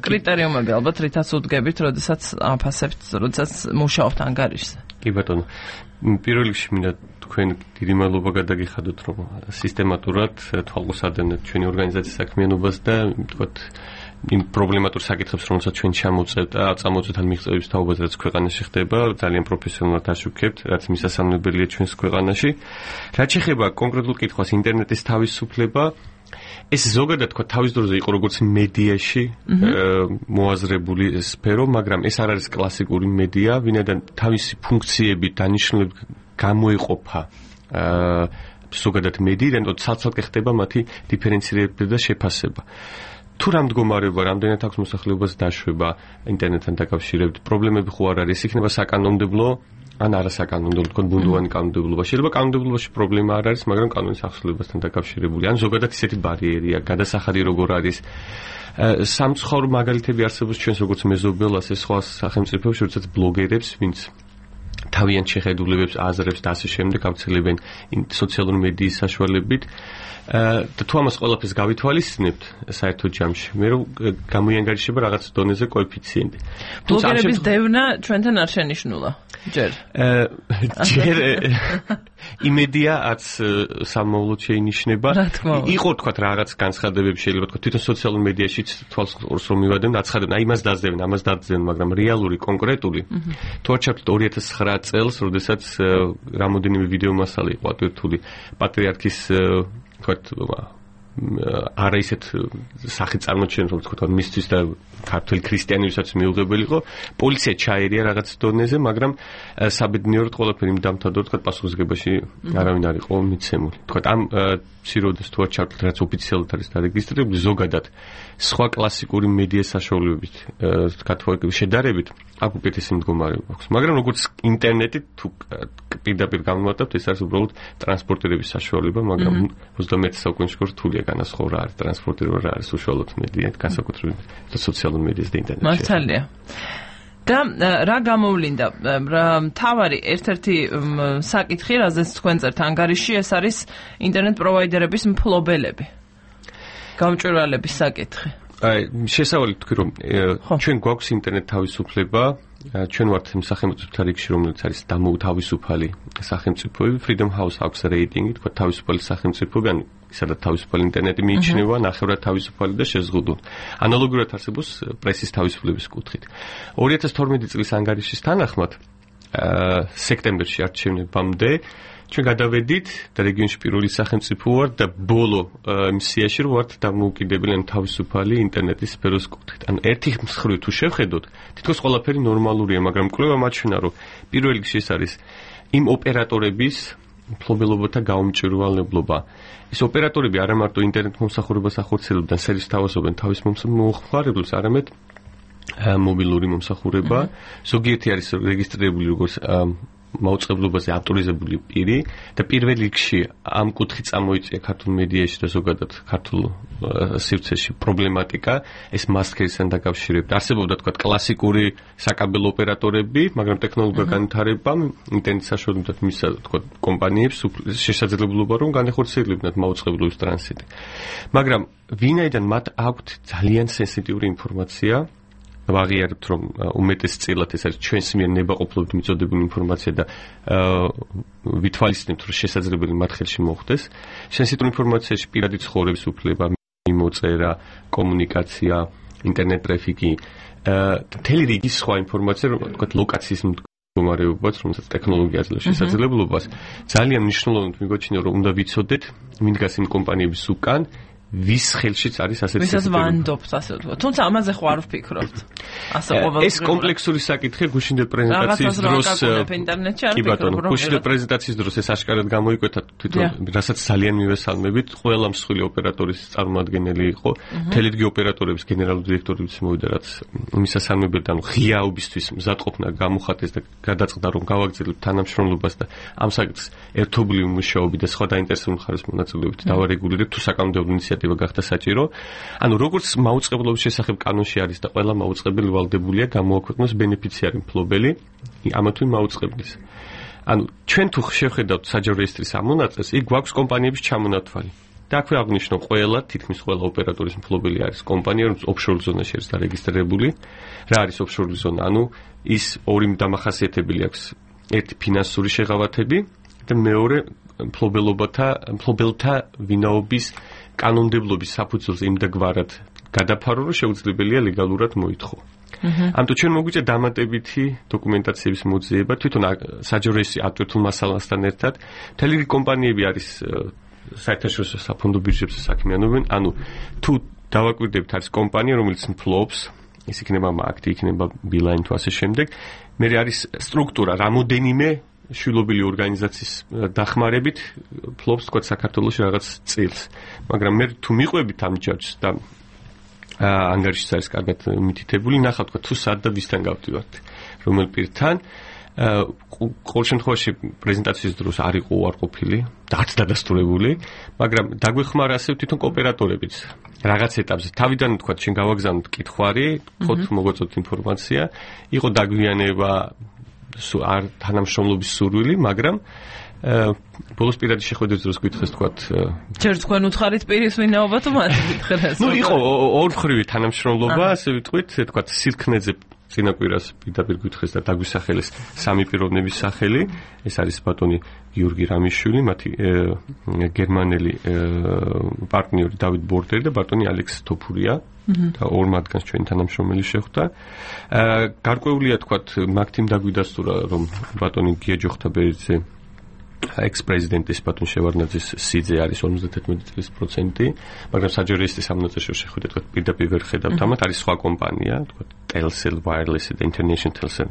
კრიტერიუმები ალბათ რითაც უდგებით, როდესაც აფასებთ, როდესაც მუშაობთ ანგარიშზე. კი ბატონო, პირველ რიგში მინდა თქვენ დიდი მადლობა გადაგიხადოთ, რომ სისტემატურად თვალყურს ადევნებთ ჩვენი ორგანიზაციის საქმიანობას და თქვათ იმ პრობლემატურ საკითხებს, რომელსაც ჩვენ წამოწევთ ან მიღწევების თაობაზე, რაც ქვეყანაში ხდება, ძალიან პროფესიონალურად აშუქებთ, რაც მისასალმებელია ჩვენს ქვეყანაში. რაც შეეხება კონკრეტულ კითხვას ინტერნეტის თავისუფლება, ეს ზოგადად თქვა თავის დროზე იყო როგორც მედიაში მოაზრებული სფერო, მაგრამ ეს არ არის კლასიკური მედია, ვინაიდან თავისი ფუნქციები დანიშნულებით გამოიყოფა ზოგადად მედიიდან, ცალ-ცალკე ხდება მათი დიფერენცირება და შეფასება. თუ რა მდგომარეობა, რამდენად აქვს მოსახლეობას დაშვება ინტერნეტთან დაკავშირებით, პრობლემები ხო არ არის, იქნება საკანონმდებლო ან არასაკანონმდებლო, თქო ბუნდოვანი კანონმდებლობა. შეიძლება კანონმდებლობაში პრობლემა არ არის, მაგრამ კანონის ახსნებასთან დაკავშირებული. ან ზოგადად ისეთი ბარიერია, გადასახადი როგორ არის. სამცხაურო მაგალითები არსებობს ჩვენს როგორც მეზობელ, ასე სხვა სახელმწიფოებში, როდესაც ბლოგერებს, ვინც თავიანთ შეხედულებებს, აზრებს და ასე შემდეგ ავრცელებენ სოციალური მედიის საშუალებით. და თუ ამას ყველაფერს გავითვალისწინებთ საერთო ჯამში, მე რომ გამოიანგარიშება რაღაც დონეზე კოეფიციენტი. ბლოგერების დევნა ჩვენთან არ შენიშნულა. ჯერ იმედია არც სამოვლოდ შეინიშნება. იყო თქვათ რაღაც განცხადებები შეიძლება თქვათ თვითონ სოციალურ მედიაშიც თვალსაჩინოს რომ მივადნენ, აცხადებენ, აი იმას დაძებენ, ამას დაძებენ, მაგრამ რეალური, კონკრეტული თუ არ ჩავთვლით 2009 წელს, როდესაც რამოდენიმე ვიდეო მასალა იყო ატვირთული პატრიარქის თქვათ არა ისეთ სახით წარმოჩენს, რომ თქვათ მისთვის და ქართული ქრისტიანებისაც მიუღებელი იყო, პოლიცია ჩაერია რაღაც დონეზე, მაგრამ საბედნიეროდ ყველაფერი იმ დამთავრდა, თქვათ პასუხისგებაში არავინ არ იყო მიცემული. თქვათ ამ სიროდეს თუ არ ჩავთვლით, რაც ოფიციალურად არის დარეგისტრირებული, ზოგადად სხვა კლასიკური მედია საშუალებებით, თქვათ შედარებით, აქ უკეთესი მდგომარეობა აქვს. მაგრამ როგორც ინტერნეტი თუ პირდაპირ გამოვატებთ, ეს არის უბრალოდ ტრანსპორტირების საშუალება, მაგრამ 21 საუკუნეში რთულია განასხვაო რა არის ტრანსპორტირება, რა არის უშუალოდ მედია, განსაკუთრებით სოციალურ მედიას და ინტერნეტში. მართალია. და რა გამოვლინდა? მთავარი ერთ-ერთი საკითხი, რაზეც თქვენ წერთ ანგარიში, ეს არის ინტერნეტ პროვაიდერების მფლობელები. გამჭვირვალების საკითხი. შესავალი თქვი რომ ჩვენ გვაქვს ინტერნეტ თავისუფლება, ჩვენ ვართ იმ სახელმწიფოთა რიგში, რომელიც არის დამოუთავისუფალი სახელმწიფოები, Freedom House აქვს რეიტინგი, თქვა თავისუფალი სახელმწიფოები, ანუ სადაც თავისუფალი ინტერნეტი მიიჩნევა, ნახევრად თავისუფალი და შეზღუდული. ანალოგიურად არსებობს პრესის თავისუფლების კუთხით. 2012 წლის ანგარიშის თანახმად, სექტემბერში არჩევნებამდე ჩვენ გადავედით და რეგიონში პირველი სახელმწიფო ვართ და ბოლო სიაში ვართ დამოუკიდებელი თავისუფალი ინტერნეტის სფეროს კუთხით. ან ერთი მხრივ თუ შევხედოთ, თითქოს ყველაფერი ნორმალურია, მაგრამ კვლევა მაჩვენა, რომ პირველ რიგში ეს არის იმ ოპერატორების მფლობელობათა გაუმჭვირვალებლობა. ეს ოპერატორები არა მარტო ინტერნეტ მომსახურებას ახორციელებდნენ, სერვის თავაზობენ თავის მომხმარებლებს, არამედ მობილური მომსახურება. ზოგიერთი არის რეგისტრირებული როგორც მაუწყებლობაზე ავტორიზებული პირი და პირველ რიგში ამ კუთხით წამოიწია ქართულ მედიაში და ზოგადად ქართულ სივრცეში პრობლემატიკა, ეს მასკერისთან დაკავშირებით. არსებობდა თქვა კლასიკური საკაბელო ოპერატორები, მაგრამ ტექნოლოგიურ განვითარებამ ინტერნეტ საშუალებად მისცა თქვა კომპანიებს შესაძლებლობა რომ განეხორციელებინათ მაუწყებლობის ტრანზიტი. მაგრამ ვინაიდან მათ აქვთ ძალიან სენსიტიური ინფორმაცია, ვაღიარებთ რომ უმეტესწილად ეს არის ჩვენს მიერ ნებაყოფლობით მიწოდებული ინფორმაცია და ვითვალისწინებთ რომ შესაძლებელი მათ ხელში მოხდეს. სენსიტური ინფორმაციაში პირადი ცხოვრების უფლება, მიმოწერა, კომუნიკაცია, ინტერნეტ ტრაფიკი, მთელი რიგი სხვა ინფორმაცია, თქვათ ლოკაციის მდგომარეობაც, რომელსაც ტექნოლოგია აძლევს შესაძლებლობას, ძალიან მნიშვნელოვნად მიგოჩნია რომ უნდა ვიცოდეთ, ვინ დგას იმ კომპანიების უკან, ვის ხელშიც არის ასეთი ვისაც ვანდობთ, ასე ვთქვათ. თუმცა ამაზე ხო არ ვფიქრობთ. ასე ყოველთვის ეს კომპლექსური საკითხია გუშინდელ პრეზენტაციის დროს. კი ბატონო, გუშინდელ პრეზენტაციის დროს ეს აშკარად გამოიკვეთა თვითონ, რასაც ძალიან მივესალმებით. ყველა მსხვილი ოპერატორის წარმომადგენელი იყო, თელედგი ოპერატორების გენერალური დირექტორიც მოვიდა, რაც მისასალმებელი, ანუ ღიაობისთვის მზადყოფნა გამოხატეს და გადაწყდა რომ გავაგრძელებთ თანამშრომლობას და ამ საკითხს ერთობლივი მუშაობი და სხვა დაინტერესებული მხარეს მონაწილეობით დავარეგულირებთ თუ საკანონმდებლო ინიციატივა გახდა საჭირო. ანუ როგორც მაუწყებლობის შესახებ კანონში არის და ყველა მაუწყებელი ვალდებულია გამოაქვეყნოს ბენეფიციარი მფლობელი ამა თუ იმ მაუწყებლის. ანუ ჩვენ თუ შევხედავთ საჯარო რეესტრის ამონაწილეს, იქ გვაქვს კომპანიების ჩამონათვალი. და აქვე აღნიშნო ყველა, თითქმის ყველა ოპერატორის მფლობელი არის კომპანია, რომელიც ოფშორ ზონაში არის დარეგისტრირებული. რა არის ოფშორ ზონა? ანუ ის ორი დამახასიათებელი აქვს. ერთი ფინანსური შეღავათები და მეორე მფლობელთა ვინაობის კანონმდებლობის საფუძველზე იმდაგვარად გადაფარო, რომ შეუძლებელია ლეგალურად მოითხოვო. ამიტომ ჩვენ მოგვიწია დამატებითი დოკუმენტაციების მოძიება, თვითონ საჯაროესი ატვირთულ მასალასთან ერთად. მთელი კომპანიები არის საერთაშორისო საფონდო ბირჟებზე საქმიანობენ, ანუ თუ დავაკვირდებთ არის კომპანია, რომელიც ფლობს, ის იქნება მაგდი, იქნება ბილაინ თუ ასე შემდეგ, მე არის სტრუქტურა რამოდენიმე შვილობილი ორგანიზაციის დახმარებით ფლობს თქვა საქართველოში რაღაც წილს. მაგრამ მე თუ მიყვებით ამ ჯაჭვს და ანგარიშიც არის კარგად მითითებული, ნახავთ თქვა თუ სად და ვისთან გავდივართ, რომელ პირთან. ყოველ შემთხვევაში პრეზენტაციის დროს არ იყო უარყოფილი და არც დადასტურებული, მაგრამ დაგვეხმარა ასე თვითონ კოოპერატორებიც რაღაც ეტაპზე. თავიდან თქვა შენ გავაგზავნოთ კითხვარი, თქოთ მოგვაწოდოთ ინფორმაცია, იყო დაგვიანება არ თანამშრომლობის სურვილი, მაგრამ ბოლოს პირადი შეხვედრის დროს გითხეს თქვათ ჯერ თქვენ უთხარით პირის ვინაობა თუ მათ გითხრეს. ნუ იყო ორმხრივი თანამშრომლობა, ასე ვიტყვით, თქვათ სილქნეძე წინა კვირას პირდაპირ გითხეს და დაგვისახელეს სამი პიროვნების სახელი. ეს არის ბატონი გიორგი რამიშვილი, მათი გერმანელი პარტნიორი დავით ბორდერი და ბატონი ალექს თოფურია. და ორ მათგანს ჩვენი თანამშრომელი შეხვდა. გარკვეულია თქვათ მაგთიმ დაგვიდასტურა, რომ ბატონი გია ჯოხთაბერიძე ექს-პრეზიდენტის ბატონ შევარდნაძის სიძე არის 51%, მაგრამ საჯაროისტის ამოწეშო შეხვედრა თქვათ პირდაპირ ვერ ხედავთ ამათ, არის სხვა კომპანია, თქვათ Telcel Wireless და International Telcel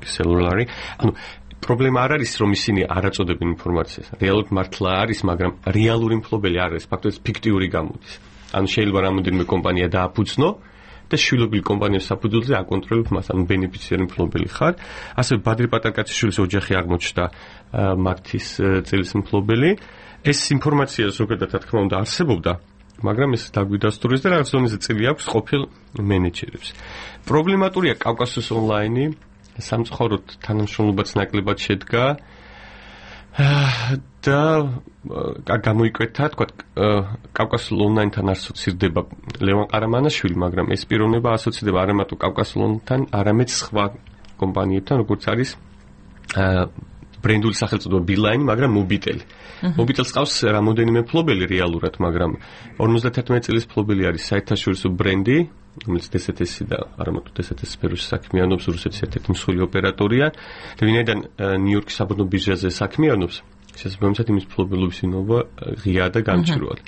Cellular. ანუ პრობლემა არ არის, რომ ისინი არ აწოდებენ ინფორმაციას. რეალურად მართლა არის, მაგრამ რეალური მფლობელი არ არის, ფაქტობრივად ფიქტიური გამოდის. ანუ შეიძლება რამოდენიმე კომპანია დააფუძნო და შვილობილი კომპანიების საფუძველზე აკონტროლებ მას, ანუ ბენეფიციარი მფლობელი ხარ. ასევე ბადრი პატარკაციშვილის ოჯახი აღმოჩნდა მაგთის წილის მფლობელი. ეს ინფორმაცია ზოგადად რა თქმა უნდა არსებობდა, მაგრამ ეს დაგვიდასტურეს და რაღაც ზონაზე წილი აქვს ყოფილ მენეჯერებს. პრობლემატურია კავკასიოს ონლაინი, სამწუხაროდ თანამშრომლობაც ნაკლებად შედგა. და გამოიკვეთა, თქვა კავკასიულ ონლაინთან ასოცირდება ლევან ყარამანაშვილი, მაგრამ ეს პიროვნება ასოცირდება არა მარტო კავკასიულ ონლაინთან, არამედ სხვა კომპანიებთან, როგორც არის ბრენდული სახელწოდება ბილაინი, მაგრამ მობიტელი. მობიტელს ყავს რამოდენიმე მფლობელი რეალურად, მაგრამ 51 წლის მფლობელი არის საერთაშორისო ბრენდი, რომელიც DSTS და არა მარტო DSTS სფეროში საქმიანობს, რუსეთის ერთ-ერთი მსხვილი ოპერატორია და ვინაიდან ნიუ-იორკის საბრძოლო ბირჟაზე საქმიანობს, შესაბამისად იმის მფლობელობის ინობა ღია და გამჭვირვალე.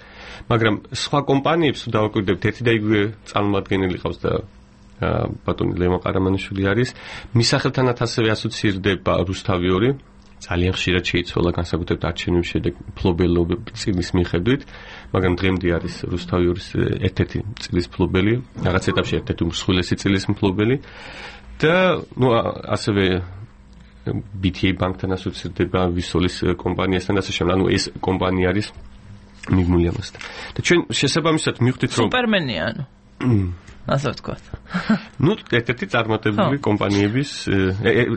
მაგრამ სხვა კომპანიებს თუ დავაკვირდებთ, ერთი და იგივე წარმომადგენელი ყავს და ბატონი ლევან ყარამანიშვილი არის, მის სახელთანაც ასევე ასოცირდება რუსთავი 2, ძალიან ხშირად შეიცვალა განსაკუთრებით არჩევნების შედეგ მფლობელობის წილის მიხედვით, მაგრამ დღემდე არის რუსთავი 2-ის ერთ-ერთი წილის მფლობელი, რაღაც ეტაპში ერთ-ერთი უმსხვილესი წილის მფლობელი და ნუ ასევე BTA ბანკთან ასოცირდება ვისოლის კომპანიასთან და ასე შემდეგ. ანუ ეს კომპანია არის მიგმული ამასთან. და ჩვენ შესაბამისად მივხვდით რომ სუპერმენია ანუ ასე ვთქვათ. ნუ ერთ-ერთი წარმატებული კომპანიების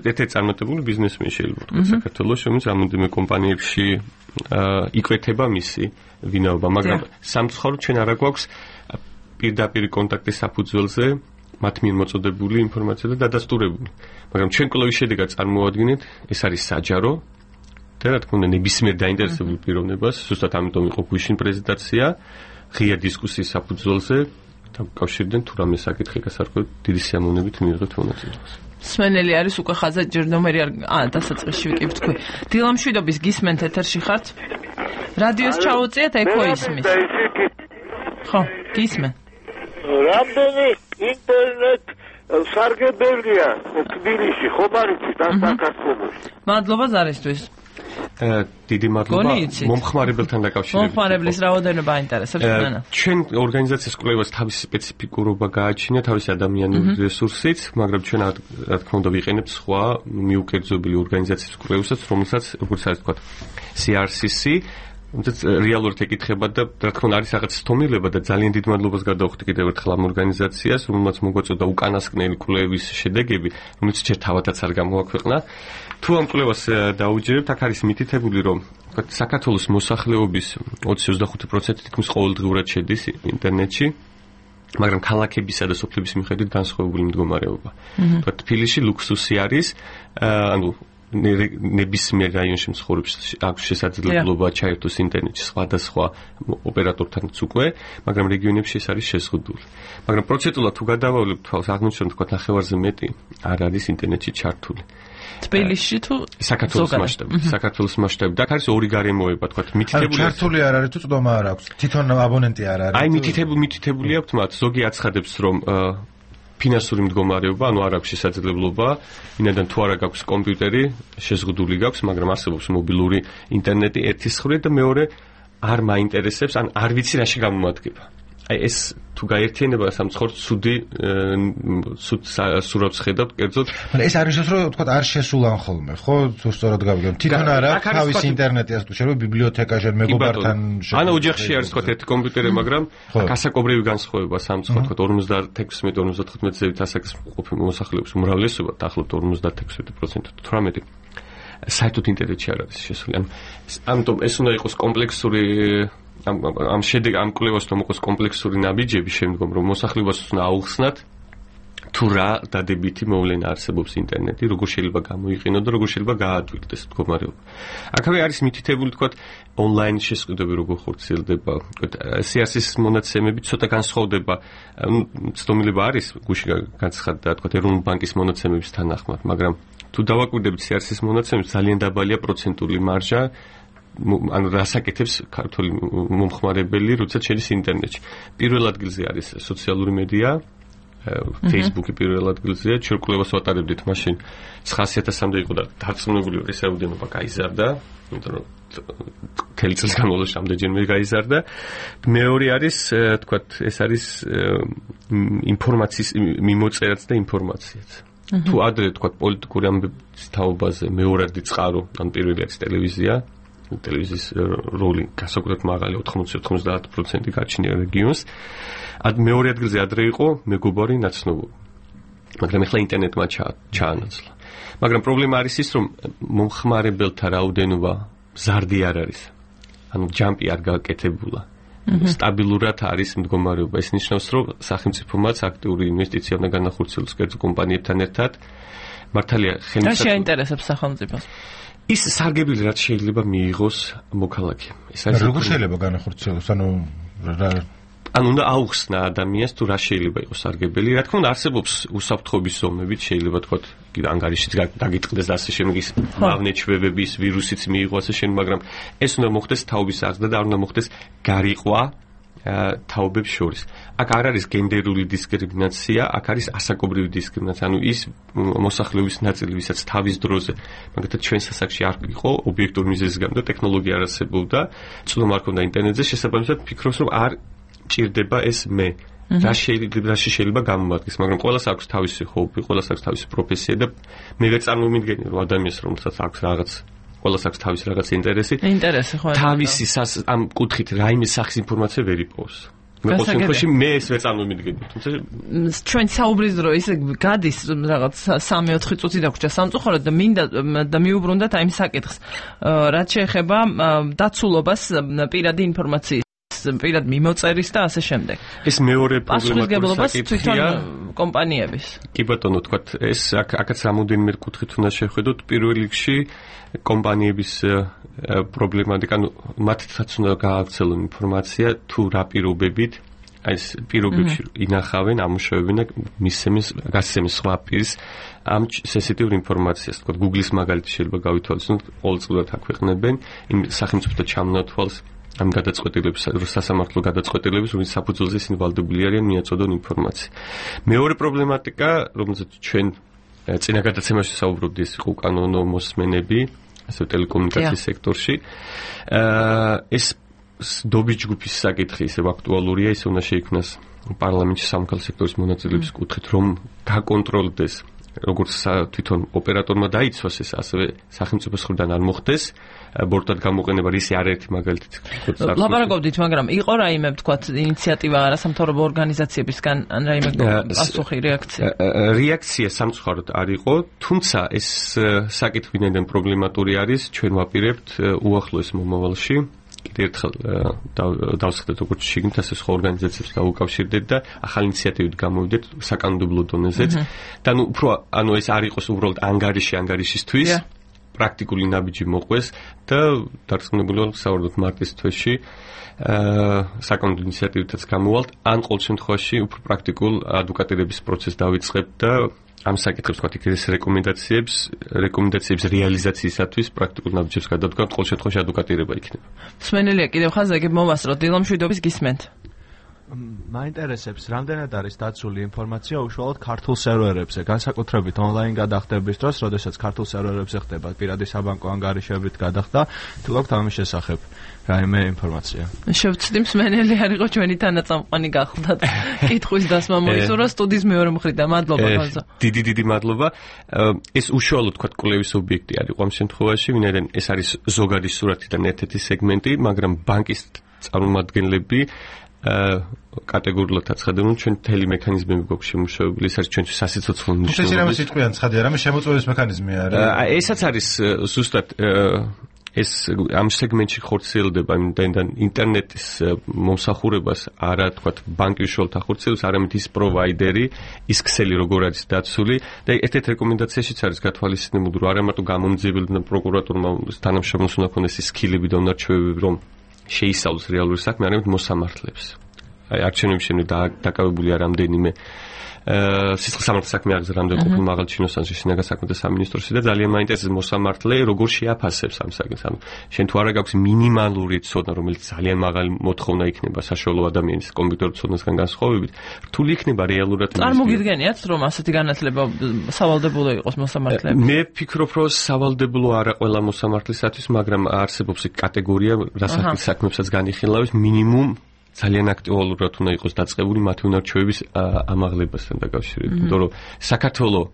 ერთ-ერთი წარმატებული ბიზნესმენი შეიძლება ვთქვათ საქართველოს, რომელიც რამოდენიმე კომპანიებში იკვეთება მისი ვინაობა, მაგრამ სამწუხაროდ ჩვენ არა გვაქვს პირდაპირ კონტაქტის საფუძველზე მათ მიერ მოწოდებული ინფორმაცია და დადასტურებული. მაგრამ ჩვენ კვლევის შედეგად წარმოვადგინეთ, ეს არის საჯარო და რა თქმა უნდა ნებისმიერ დაინტერესებულ პიროვნებას, ზუსტად ამიტომ იყო გვიშინ პრეზენტაცია, ღია დისკუსიის საფუძველზე კავშირიდან თუ რამე საკითხი გასარკვევად დიდი სიამოვნებით მიიღეთ მონაწილეობას. სმენელი არის უკვე ხაზა ჯერდომერი არ დასაწყისში ვიკი თქვი. დილამშვიდობის გისმენთ ეთერში ხართ? რადიოს ჩაუწიეთ, ეკო ისმის. ხო, გისმენ. რამდენი ინტერნეტ სარგებელია თბილისში, ხომ არის თან საქართველოში? მადლობა ზარისთვის. დიდი მადლობა მომხმარებელთან დაკავშირებით. მომხმარებლის რაოდენობა აინტერესებს მένα. ჩვენ ორგანიზაციის კვლევას თავისი სპეციფიკურობა გააჩნია, თავისი ადამიანური რესურსით, მაგრამ ჩვენ რა თქმა უნდა ვიყენებთ სხვა მიუკერძობილი ორგანიზაციის კვლევასაც, რომელსაც როგორც არის თქვა CRCC, თუმცა რეალურად ეკითხება და რა თქმა უნდა არის რაღაც სტომილება და ძალიან დიდ მადლობას გადავხდი კიდევ ერთხელ ამ ორგანიზაციას, რომელმაც მოგვაწოდა უკანასკნელი კვლევის შედეგები, რომელიც ჯერ თავადაც არ გამოაქვეყნა. თუ ამ კვლევას დაუჯერებთ, აქ არის მითითებული, რომ საქართველოს მოსახლეობის 20-25% თითქმის ყოველდღიურად შედის ინტერნეტში, მაგრამ ქალაქებისა და სოფლების მიხედვით განსხვავებული მდგომარეობა. თბილისში ლუქსუსი არის, ანუ ნებისმიერ რაიონში მცხოვრებს აქვს შესაძლებლობა ჩაერთოს ინტერნეტში სხვადასხვა ოპერატორთანაც უკვე, მაგრამ რეგიონებში ეს არის შეზღუდული. მაგრამ პროცენტულად თუ გადავავლებთ თვალს, აღმოჩნდა თქვა ნახევარზე მეტი არ არის ინტერნეტში ჩართული. თბილისში თუ საქართველოს მასშტაბით. აქ არის ორი გარემოება, თქვა მითითებული. ჩართული არ არის თუ წვდომა არ აქვს. თვითონ აბონენტი არ არის. აი მითითებული აქვს მათ, ზოგი აცხადებს, რომ ფინანსური მდგომარეობა, ანუ არ აქვს შესაძლებლობა, ვინაიდან თუ არა გაქვს კომპიუტერი, შეზღუდული გაქვს, მაგრამ არსებობს მობილური ინტერნეტი ერთის მხრივ და მეორე არ მაინტერესებს, ან არ ვიცი რაში გამომადგება. აი ეს თუ გაერთიანება სამცხორ ცუდი სურათს ხედავთ, კერძოდ. ეს არის ის რომ თქვა არ შესულან ხოლმე, ხო? თუ სწორად გავიგებ. თვითონ არა თავის ინტერნეტი ასე თუ შეიძლება ბიბლიოთეკაში მეგობართან ანუ ოჯახში არის თქვა ერთი კომპიუტერი, მაგრამ აქ ასაკობრივი განსხვავება სამცხორ თქვა 56-54 ზევით ასაკის მოსახლეობის უმრავლესობა დაახლოებით 56% თუ 18 საერთოდ ინტერნეტში არ არის შესული. ამიტომ ეს უნდა იყოს კომპლექსური ამ კვლევას რომ იყოს კომპლექსური ნაბიჯები შემდგომ რომ მოსახლეობას უნდა აუხსნათ თუ რა დადებითი მოვლენა არსებობს ინტერნეტი, როგორ შეიძლება გამოიყენო და როგორ შეიძლება გაადვილდეს მდგომარეობა. აქავე არის მითითებული თქვა ონლაინ შესყიდვები როგორ ხორციელდება. CRC-ის მონაცემები ცოტა განსხვავდება, ცდომილება არის გუში განცხადდა თქვა ეროვნული ბანკის მონაცემების თანახმად, მაგრამ თუ დავაკვირდებით CRC-ის მონაცემებს ძალიან დაბალია პროცენტული მარჟა ანუ რასაკეთებს ქართული მომხმარებელი, როდესაც შედის ინტერნეტში. პირველ ადგილზე არის სოციალური მედია, Facebook-ი პირველ ადგილზეა, ჩვენ კვლევას ვატარებდით მაშინ 900.000-მდე იყო და დარწმუნებული ვარ ეს რაოდენობა გაიზარდა, იმიტომ რომ მთელი წლის განმავლობაში ამდენჯერმე გაიზარდა. მეორე არის, თქვათ, ეს არის ინფორმაციის მიმოწერაც და ინფორმაციაც. თუ ადრე თქვათ პოლიტიკური ამბების თაობაზე მეორადი წყარო, ან პირველი არის ტელევიზია, ტელევიზიის როლი განსაკუთრებით მაღალი 80-90% გაჩნია რეგიონს. მეორე ადგილზე ადრე იყო მეგობარი ნაცნობობა. მაგრამ ახლა ინტერნეტმა ჩაანაცვლა. მაგრამ პრობლემა არის ის, რომ მომხმარებელთა რაოდენობა ზარდი არ არის. ანუ ჯამპი არ გაკეთებულა. სტაბილურად არის მდგომარეობა. ეს ნიშნავს, რომ სახელმწიფომაც აქტიური ინვესტიცია უნდა განახორციელოს კერძო კომპანიებთან ერთად. მართალია ხელმისაწვდომი. რა შეინტერესებს სახელმწიფოს? ის სარგებელი რაც შეიძლება მიიღოს მოქალაქე. ეს არის როგორ შეიძლება განახორციელოს? ანუ უნდა აუხსნა ადამიანს თუ რა შეიძლება იყოს სარგებელი. რა თქმა უნდა არსებობს უსაფრთხოების ზომებით, შეიძლება თქვა ანგარიშიც დაგიტყდეს და ასე შემდეგ ის მავნეჩვევების ვირუსიც მიიღო ასე შემდეგ, მაგრამ ეს უნდა მოხდეს თაობის აღზრდა და არ უნდა მოხდეს გარიყვა თაობებს შორის. აქ არ არის გენდერული დისკრიმინაცია, აქ არის ასაკობრივი დისკრიმინაცია. ანუ ის მოსახლეობის ნაწილი, ვისაც თავის დროზე, მაგალითად ჩვენ სასახლეში არ იყო ობიექტური მიზეზის გამო და ტექნოლოგია არ არსებობდა, წვდომა არ ქონდა ინტერნეტზე, შესაბამისად ფიქრობს, რომ არ ჭირდება ეს მე. რაში შეიძლება გამომადგეს, მაგრამ ყველას აქვს თავისი ჰობი, ყველას აქვს თავისი პროფესია და მე ვერ წარმოვიდგენი რომ ადამიანს რომელსაც აქვს რაღაც ყველას აქვს თავის რაღაც ინტერესი, ხო. თავისი ამ კუთხით რაიმე სახის ინფორმაცია ვერ იპოვოს. მე ეს ვერ წარმოვიდგენი. თუმცა ჩვენ საუბრის დრო ისე გადის რაღაც 3-4 წუთი დაგვრჩა სამწუხაროდ და მინდა და მიუბრუნდათ აი ამ საკითხს. რაც შეეხება დაცულობას პირადი ინფორმაციის პირად მიმოწერის და ასე შემდეგ. ეს მეორე პრობლემატური საკითხია კომპანიების. კი ბატონო, თქვათ, ეს აქაც რამოდენიმე კუთხით უნდა შევხედოთ. პირველ რიგში კომპანიების პრობლემატიკა, ანუ მათაც უნდა გაავრცელონ ინფორმაცია თუ რა პირობებით, აი ეს პირობებში ინახავენ, ამუშავებენ და გასცემენ სხვა პირს ამ სენსიტიურ ინფორმაციას. თქვათ, Google-ის მაგალითი შეიძლება გავითვალისწინოთ, ყოველწლიურად აქვეყნებენ იმ სახელმწიფო ჩამონათვალს ამ გადაწყვეტილების, სასამართლო გადაწყვეტილების, რომელიც საფუძველზე ისინი ვალდებული არიან მიაწოდონ ინფორმაცია. მეორე პრობლემატიკა, რომელზეც ჩვენ წინა გადაცემაში საუბრობდით, ის იყო უკანონო მოსმენები, ასე ტელეკომუნიკაციის სექტორში. ეს დობის ჯგუფის საკითხი ისევ აქტუალურია, ის უნდა შეიქმნას პარლამენტში სამოქალაქო სექტორის მონაწილეობის კუთხით, რომ გაკონტროლდეს როგორც თვითონ ოპერატორმა დაიცვას ეს, ასევე სახელმწიფოს მხრიდან არ მოხდეს ბორტად გამოყენება, რისი არაერთი მაგალითით. ლაპარაკობდით, მაგრამ იყო რაიმე თქვათ ინიციატივა არასამთავრობო ორგანიზაციებისგან, ან რაიმე პასუხი, რეაქცია? რეაქცია სამწუხაროდ არ იყო, თუმცა ეს საკითხი ვინაიდან პრობლემატური არის, ჩვენ ვაპირებთ უახლოეს მომავალში კიდევ ერთხელ დავსხდეთ როგორც შიგნით, ასე სხვა ორგანიზაციებს დავუკავშირდეთ და ახალი ინიციატივით გამოვიდეთ საკანონმდებლო დონეზეც. და ანუ ეს არ იყოს უბრალოდ ანგარიშისთვის, პრაქტიკული ნაბიჯი მოყვეს და დარწმუნებული ვარ საერთოდ მარტის თვეში საკანონმდებლო ინიციატივითაც გამოვალთ, ან ყოველ შემთხვევაში უფრო პრაქტიკულ ადვოკატირების პროცესს დავიწყებთ და ამ საკითხებს თქვათ იქ რეკომენდაციების რეალიზაციისათვის პრაქტიკულ ნაბიჯებს გადავდგამთ, ყოველ შემთხვევაში ადვოკატირება იქნება. მსმენელია კიდევ ხაზები მოვასწროთ დილომშვიდობის გისმენთ. მაინტერესებს, რამდენად არის დაცული ინფორმაცია უშუალოდ ქართულ სერვერებზე, განსაკუთრებით ონლაინ გადახდების დროს, როდესაც ქართულ სერვერებზე ხდება პირადი საბანკო ანგარიშებით გადახდა, თუ გაქვთ ამის შესახებ რაიმე ინფორმაცია. შევცდი მსმენელი არ იყო ჩვენი თანაწამყვანი გახლდათ. კითხვის დასმა მოისურვა სტუდიის მეორე მხრიდან. მადლობა ხაზა. დიდი მადლობა. ეს უშუალოდ თქვა კვლევის ობიექტი არ იყო ამ შემთხვევაში, ვინაიდან ეს არის ზოგადი სურათიდან ერთ-ერთი სეგმენტი, მაგრამ ბანკის წარმომადგენლები კატეგორიულად აცხადებენ, ჩვენ მთელი მექანიზმები გვაქვს შემუშავებული, ეს არის ჩვენთვის სასიცოცხლო მნიშვნელობის. ეს რამე სიტყვიან ცხადია, რამე შემოწმების მექანიზმი არის. ესაც არის ზუსტად ეს ამ სეგმენტში ხორციელდება, იმდენ ინტერნეტის მომსახურებას არა თქვათ ბანკი უშუალოდ ახორციელებს, არამედ ის პროვაიდერი, ის ქსელი როგორ არის დაცული და ერთ-ერთ რეკომენდაციაშიც არის გათვალისწინებული, რომ არა მარტო გამომძიებელმა და პროკურატურმა თანამშრომლებს უნდა ქონდეს ის სკილები და უნარჩვევები, რომ შეისწავლოს რეალური საქმე, არამედ მოსამართლებს. აი არჩევნების შემდეგ დაკავებულია რამდენიმე სისხლსამართლოს საქმე არის რამდენი ყოფილი მაღალ ჩინოსანში შინაგან საქმეთა სამინისტროში და ძალიან მაინტერესებს მოსამართლე როგორ შეაფასებს ამ საკითხს. ანუ შენ თუ არა გაქვს მინიმალური ცოდნა, რომელიც ძალიან მაღალი მოთხოვნა იქნება საშუალო ადამიანის კომპიუტერულ ცოდნასგან განსხვავებით, რთული იქნება რეალურად. წარმოგიდგენიათ, რომ ასეთი განათლება სავალდებულო იყოს მოსამართლეებს? მე ვფიქრობ, რომ სავალდებულო არა ყველა მოსამართლისათვის, მაგრამ არსებობს კატეგორია, რასაც საქმეებსაც განიხილავს მინიმუმ ძალიან აქტუალურად უნდა იყოს დაწყებული მათი უნარჩვევების ამაღლებასთან დაკავშირებით. იმიტომ რომ საქართველოს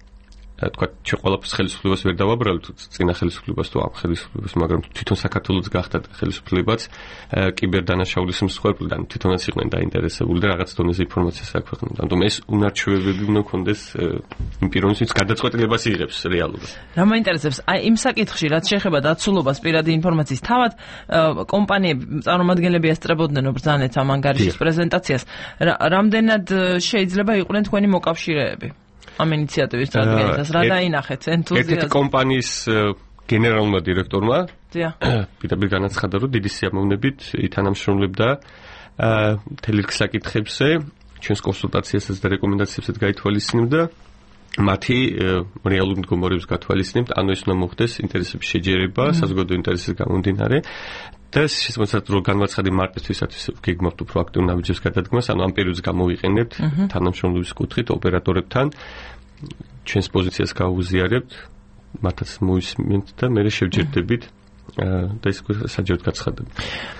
თქვა ჩვენ ყველაფერს ხელისუფლებას ვერ დავაბრალებთ, წინა ხელისუფლებას თუ ამ ხელისუფლებას, მაგრამ თვითონ საქართველოს გახდა ხელისუფლებაც კიბერდანაშაულის მსხვერპლიდან თვითონაც იყვნენ დაინტერესებული და რაღაც დონეზე ინფორმაციას აქვეყნებდნენ. ამიტომ ეს უნარჩვევები უნდა კონდეს იმ პიროვნისთვის გადაწყვეტილებას იღებს რეალურად. რა მაინტერესებს, აი იმ საკითხში, რაც შეეხება დაცულობას პირადი ინფორმაციის, თავად კომპანიები, წარმომადგენლები ესწრებოდნენ ბრძანეთ ამ ანგარიშის პრეზენტაციას, რამდენად შეიძლება იყვნენ თქვენი მოკავშირეები? ამ ინიციატივის წარდგენისას რა დაინახეთ ენთუზიაზმი? ერთ-ერთი კომპანიის გენერალურმა დირექტორმა პირდაპირ განაცხადა, რომ დიდი სიამოვნებით ითანამშრომლებდა მთელი რიგი საკითხებზე, ჩვენს კონსულტაციასაც და რეკომენდაციებსაც გაითვალისწინებდა, მათი რეალური მდგომარეობის გათვალისწინებთ, ანუ ეს უნდა მოხდეს ინტერესების შეჯერება, საზოგადო ინტერესის გამომდინარე. და შესაძლოა რომ განვაცხადე მარტისთვისაც გეგმავთ უფრო აქტიურ ნაბიჯებს გადადგმას, ანუ ამ პერიოდს გამოვიყენებთ თანამშრომლობის კუთხით ოპერატორებთან, ჩვენს პოზიციას გავუზიარებთ, მათაც მოისმენთ და მე შევჯერდებით და ის საჯაროდ გაცხადებ.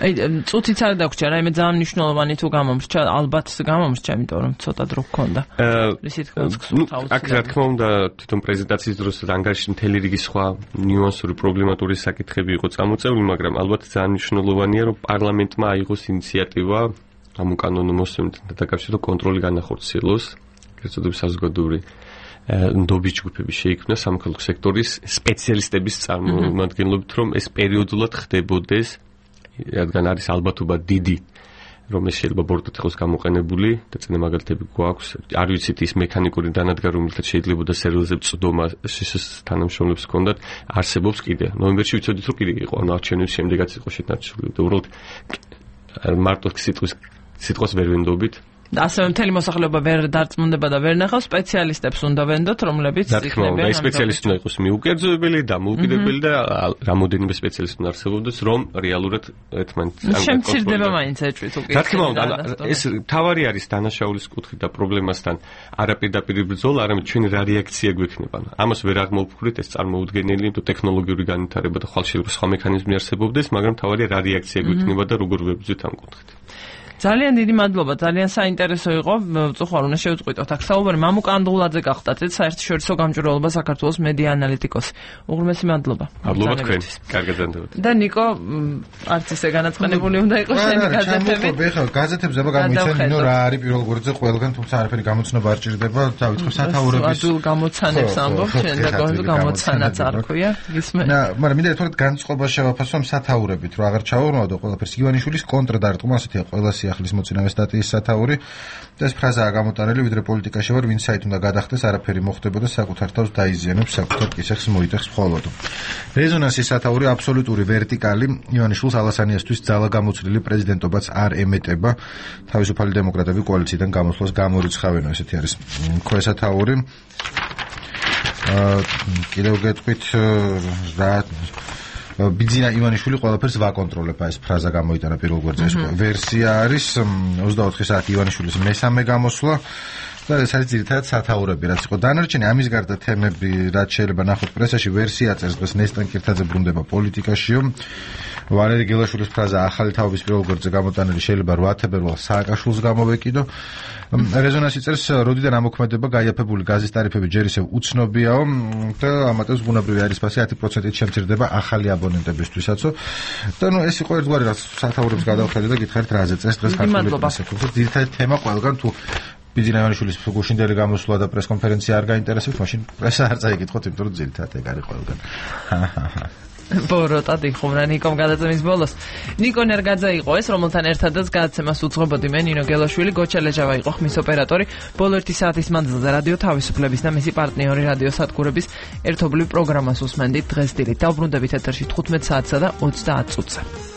აი, წუთიც არ დაგვრჩა, რაიმე ძალიან მნიშვნელოვანი თუ გამომრჩა, ალბათ გამომრჩა, იმიტომ რომ ცოტა დრო გქონდა. აქ რა თქმა უნდა, თვითონ პრეზენტაციის დროს ანგარიშში მთელი რიგი სხვა ნიუანსური პრობლემატური საკითხები იყო წამოწეული, მაგრამ ალბათ ძალიან მნიშვნელოვანია, რომ პარლამენტმა აიღოს ინიციატივა ამ უკანონო მოსმენთან დაკავშირებით კონტროლი განახორციელოს, გეცოდების საზოგადოური ნდობის ჯგუფები შეიქმნა სამოქალაქო სექტორის სპეციალისტების წარმომადგენლობით, რომ ეს პერიოდულად ხდებოდეს, რადგან არის ალბათობა დიდი, რომ ეს შეიძლება ბოროტად იყოს გამოყენებული და წინა მაგალითები გვაქვს. არ ვიცით ის მექანიკური დანადგარი, რომელთაც შეიძლება სერვერზე წვდომა თანამშრომლებს ჰქონდათ, არსებობს კიდე. ნოემბერში ვიცოდით, რომ კიდე იყო, ანუ არჩევნების შემდეგაც იყო შეთანხმებული და უბრალოდ მარტო სიტყვას ვერ ვენდობით. ასევე მთელი მოსახლეობა ვერ დარწმუნდება და ვერ ნახავს, სპეციალისტებს უნდა ვენდოთ, რომლებიც იქნებიან. ეს სპეციალისტი უნდა იყოს მიუკერძოებელი, დამოუკიდებელი და რამოდენიმე სპეციალისტი უნდა არსებობდეს, რომ რეალურად ერთმანეთს შემცირდება მაინც ეჭვით უკვე. რა თქმა უნდა, ეს თავარი არის დანაშაულის კუთხით და პრობლემასთან არაპირდაპირ ბრძოლა, არამედ ჩვენი რა რეაქცია გვექნება. ამას ვერ აღმოვფიქრეთ, ეს წარმოუდგენელი ტექნოლოგიური განვითარება და ხალხში სხვა მექანიზმი არსებობდეს, მაგრამ თავარია რა რეაქცია გვექნება და როგორ ვებრძვით ამ კუთხით. ძალიან დიდი მადლობა, ძალიან საინტერესო იყო. წუხარ უნდა შევწყვიტოთ აქ საუბარი მამუკა ანდღულაძე გახდათ, საერთაშორისო გამჭვირვალობა საქართველოს მედია ანალიტიკოსი. უღრმესი მადლობა. მადლობა თქვენ. კარგად განდევთ. და ნიკო, არც ისე განაწყენებული უნდა იყოს შენი გაზეთები. ხო, გაზეთებზე გამიცემინო რა არის პირველ გვერდზე ყველგან, თუმცა არაფერი გამოცნობა არ ჭირდება, დავიწყებ სათაურების. ადულ გამოცანებს ამბობ, შენ და გამოცანაც არ ქვია, გისმენ. მაგრამ მინდა ერთგვარად განწყობა შევაფასო ამ სათაურებით, რომ აღარ ჩავარდნო ყველაფერს. ივანიშვილის კონტრდარტყმა ასეთია ყველა სიახლის მოწინავე სტატიის სათაური. ეს ფრაზაა გამოტანილი, ვიდრე პოლიტიკაში ვარ, ვინც საით უნდა გადახდეს, არაფერი მოხდებოდა, საკუთარ თავს დაიზიანებს, საკუთარ კისერს მოიტეხს მხოლოდ. რეზონანსის სათაური აბსოლუტური ვერტიკალი ივანიშვილს ალასანიასთვის ძალა გამოცვლილი პრეზიდენტობაც არ ემეტება. თავისუფალი დემოკრატები კოალიციიდან გამოსვლას გამორიცხავენ, ესეთი არის ქვესათაური. კიდევ გეტყვით რა ბიძინა ივანიშვილი ყველაფერს ვაკონტროლებ, ეს ფრაზა გამოიტანა პირველ გვერდზე. ეს ვერსია არის 24 საათი ივანიშვილის მესამე გამოსვლა და ეს არის ძირითადად სათაურები, რაც იყო. დანარჩენი ამის გარდა თემები, რაც შეიძლება ნახოთ პრესაში, ვერსია წერს დღეს ნესტან კირთაძე ბრუნდება პოლიტიკაშიო. ვალერი გელაშვილის ფრაზა ახალი თაობის პირველ გვერდზე გამოტანილი შეიძლება 8 თებერვალს სააკაშვილს გამოვეკიდო. რეზონანსი წერს, როდიდან ამოქმედება გაიაფებული გაზის ტარიფები ჯერ ისევ უცნობიაო და ამატებს ბუნებრივი არისფასი 10%-ით შემცირდება ახალი აბონენტებისთვისაც. და ეს იყო ერთგვარი რაც სათაურებს გადავხედე და გითხარით რაზე წერს დღეს ქართული პრესა. ძირითადად თემა ყველგან თუ ბიძინა ივანიშვილის გუშინდელი გამოსვლა და პრესკონფერენცია არ გაინტერესებს, მაშინ პრესა არ წაიკითხოთ, იმიტომ რომ ძირითადად ეგ არის ყველგან. ბოროტად იხუმრა ნიკომ გადაცემის ბოლოს. ნიკო ნერგაძე იყო ეს, რომელთან ერთადაც გადაცემას უძღვებოდი მე, ნინო გელაშვილი, გოჩა ლეჟავა იყო ხმის ოპერატორი. ბოლო 1 საათის მანძილზე რადიო თავისუფლების და მისი პარტნიორი რადიო სადგურების ერთობლივ პროგრამას უსმენდით დღეს დილით. დავბრუნდებით ეთერში 15 საათსა და 30 წუთზე.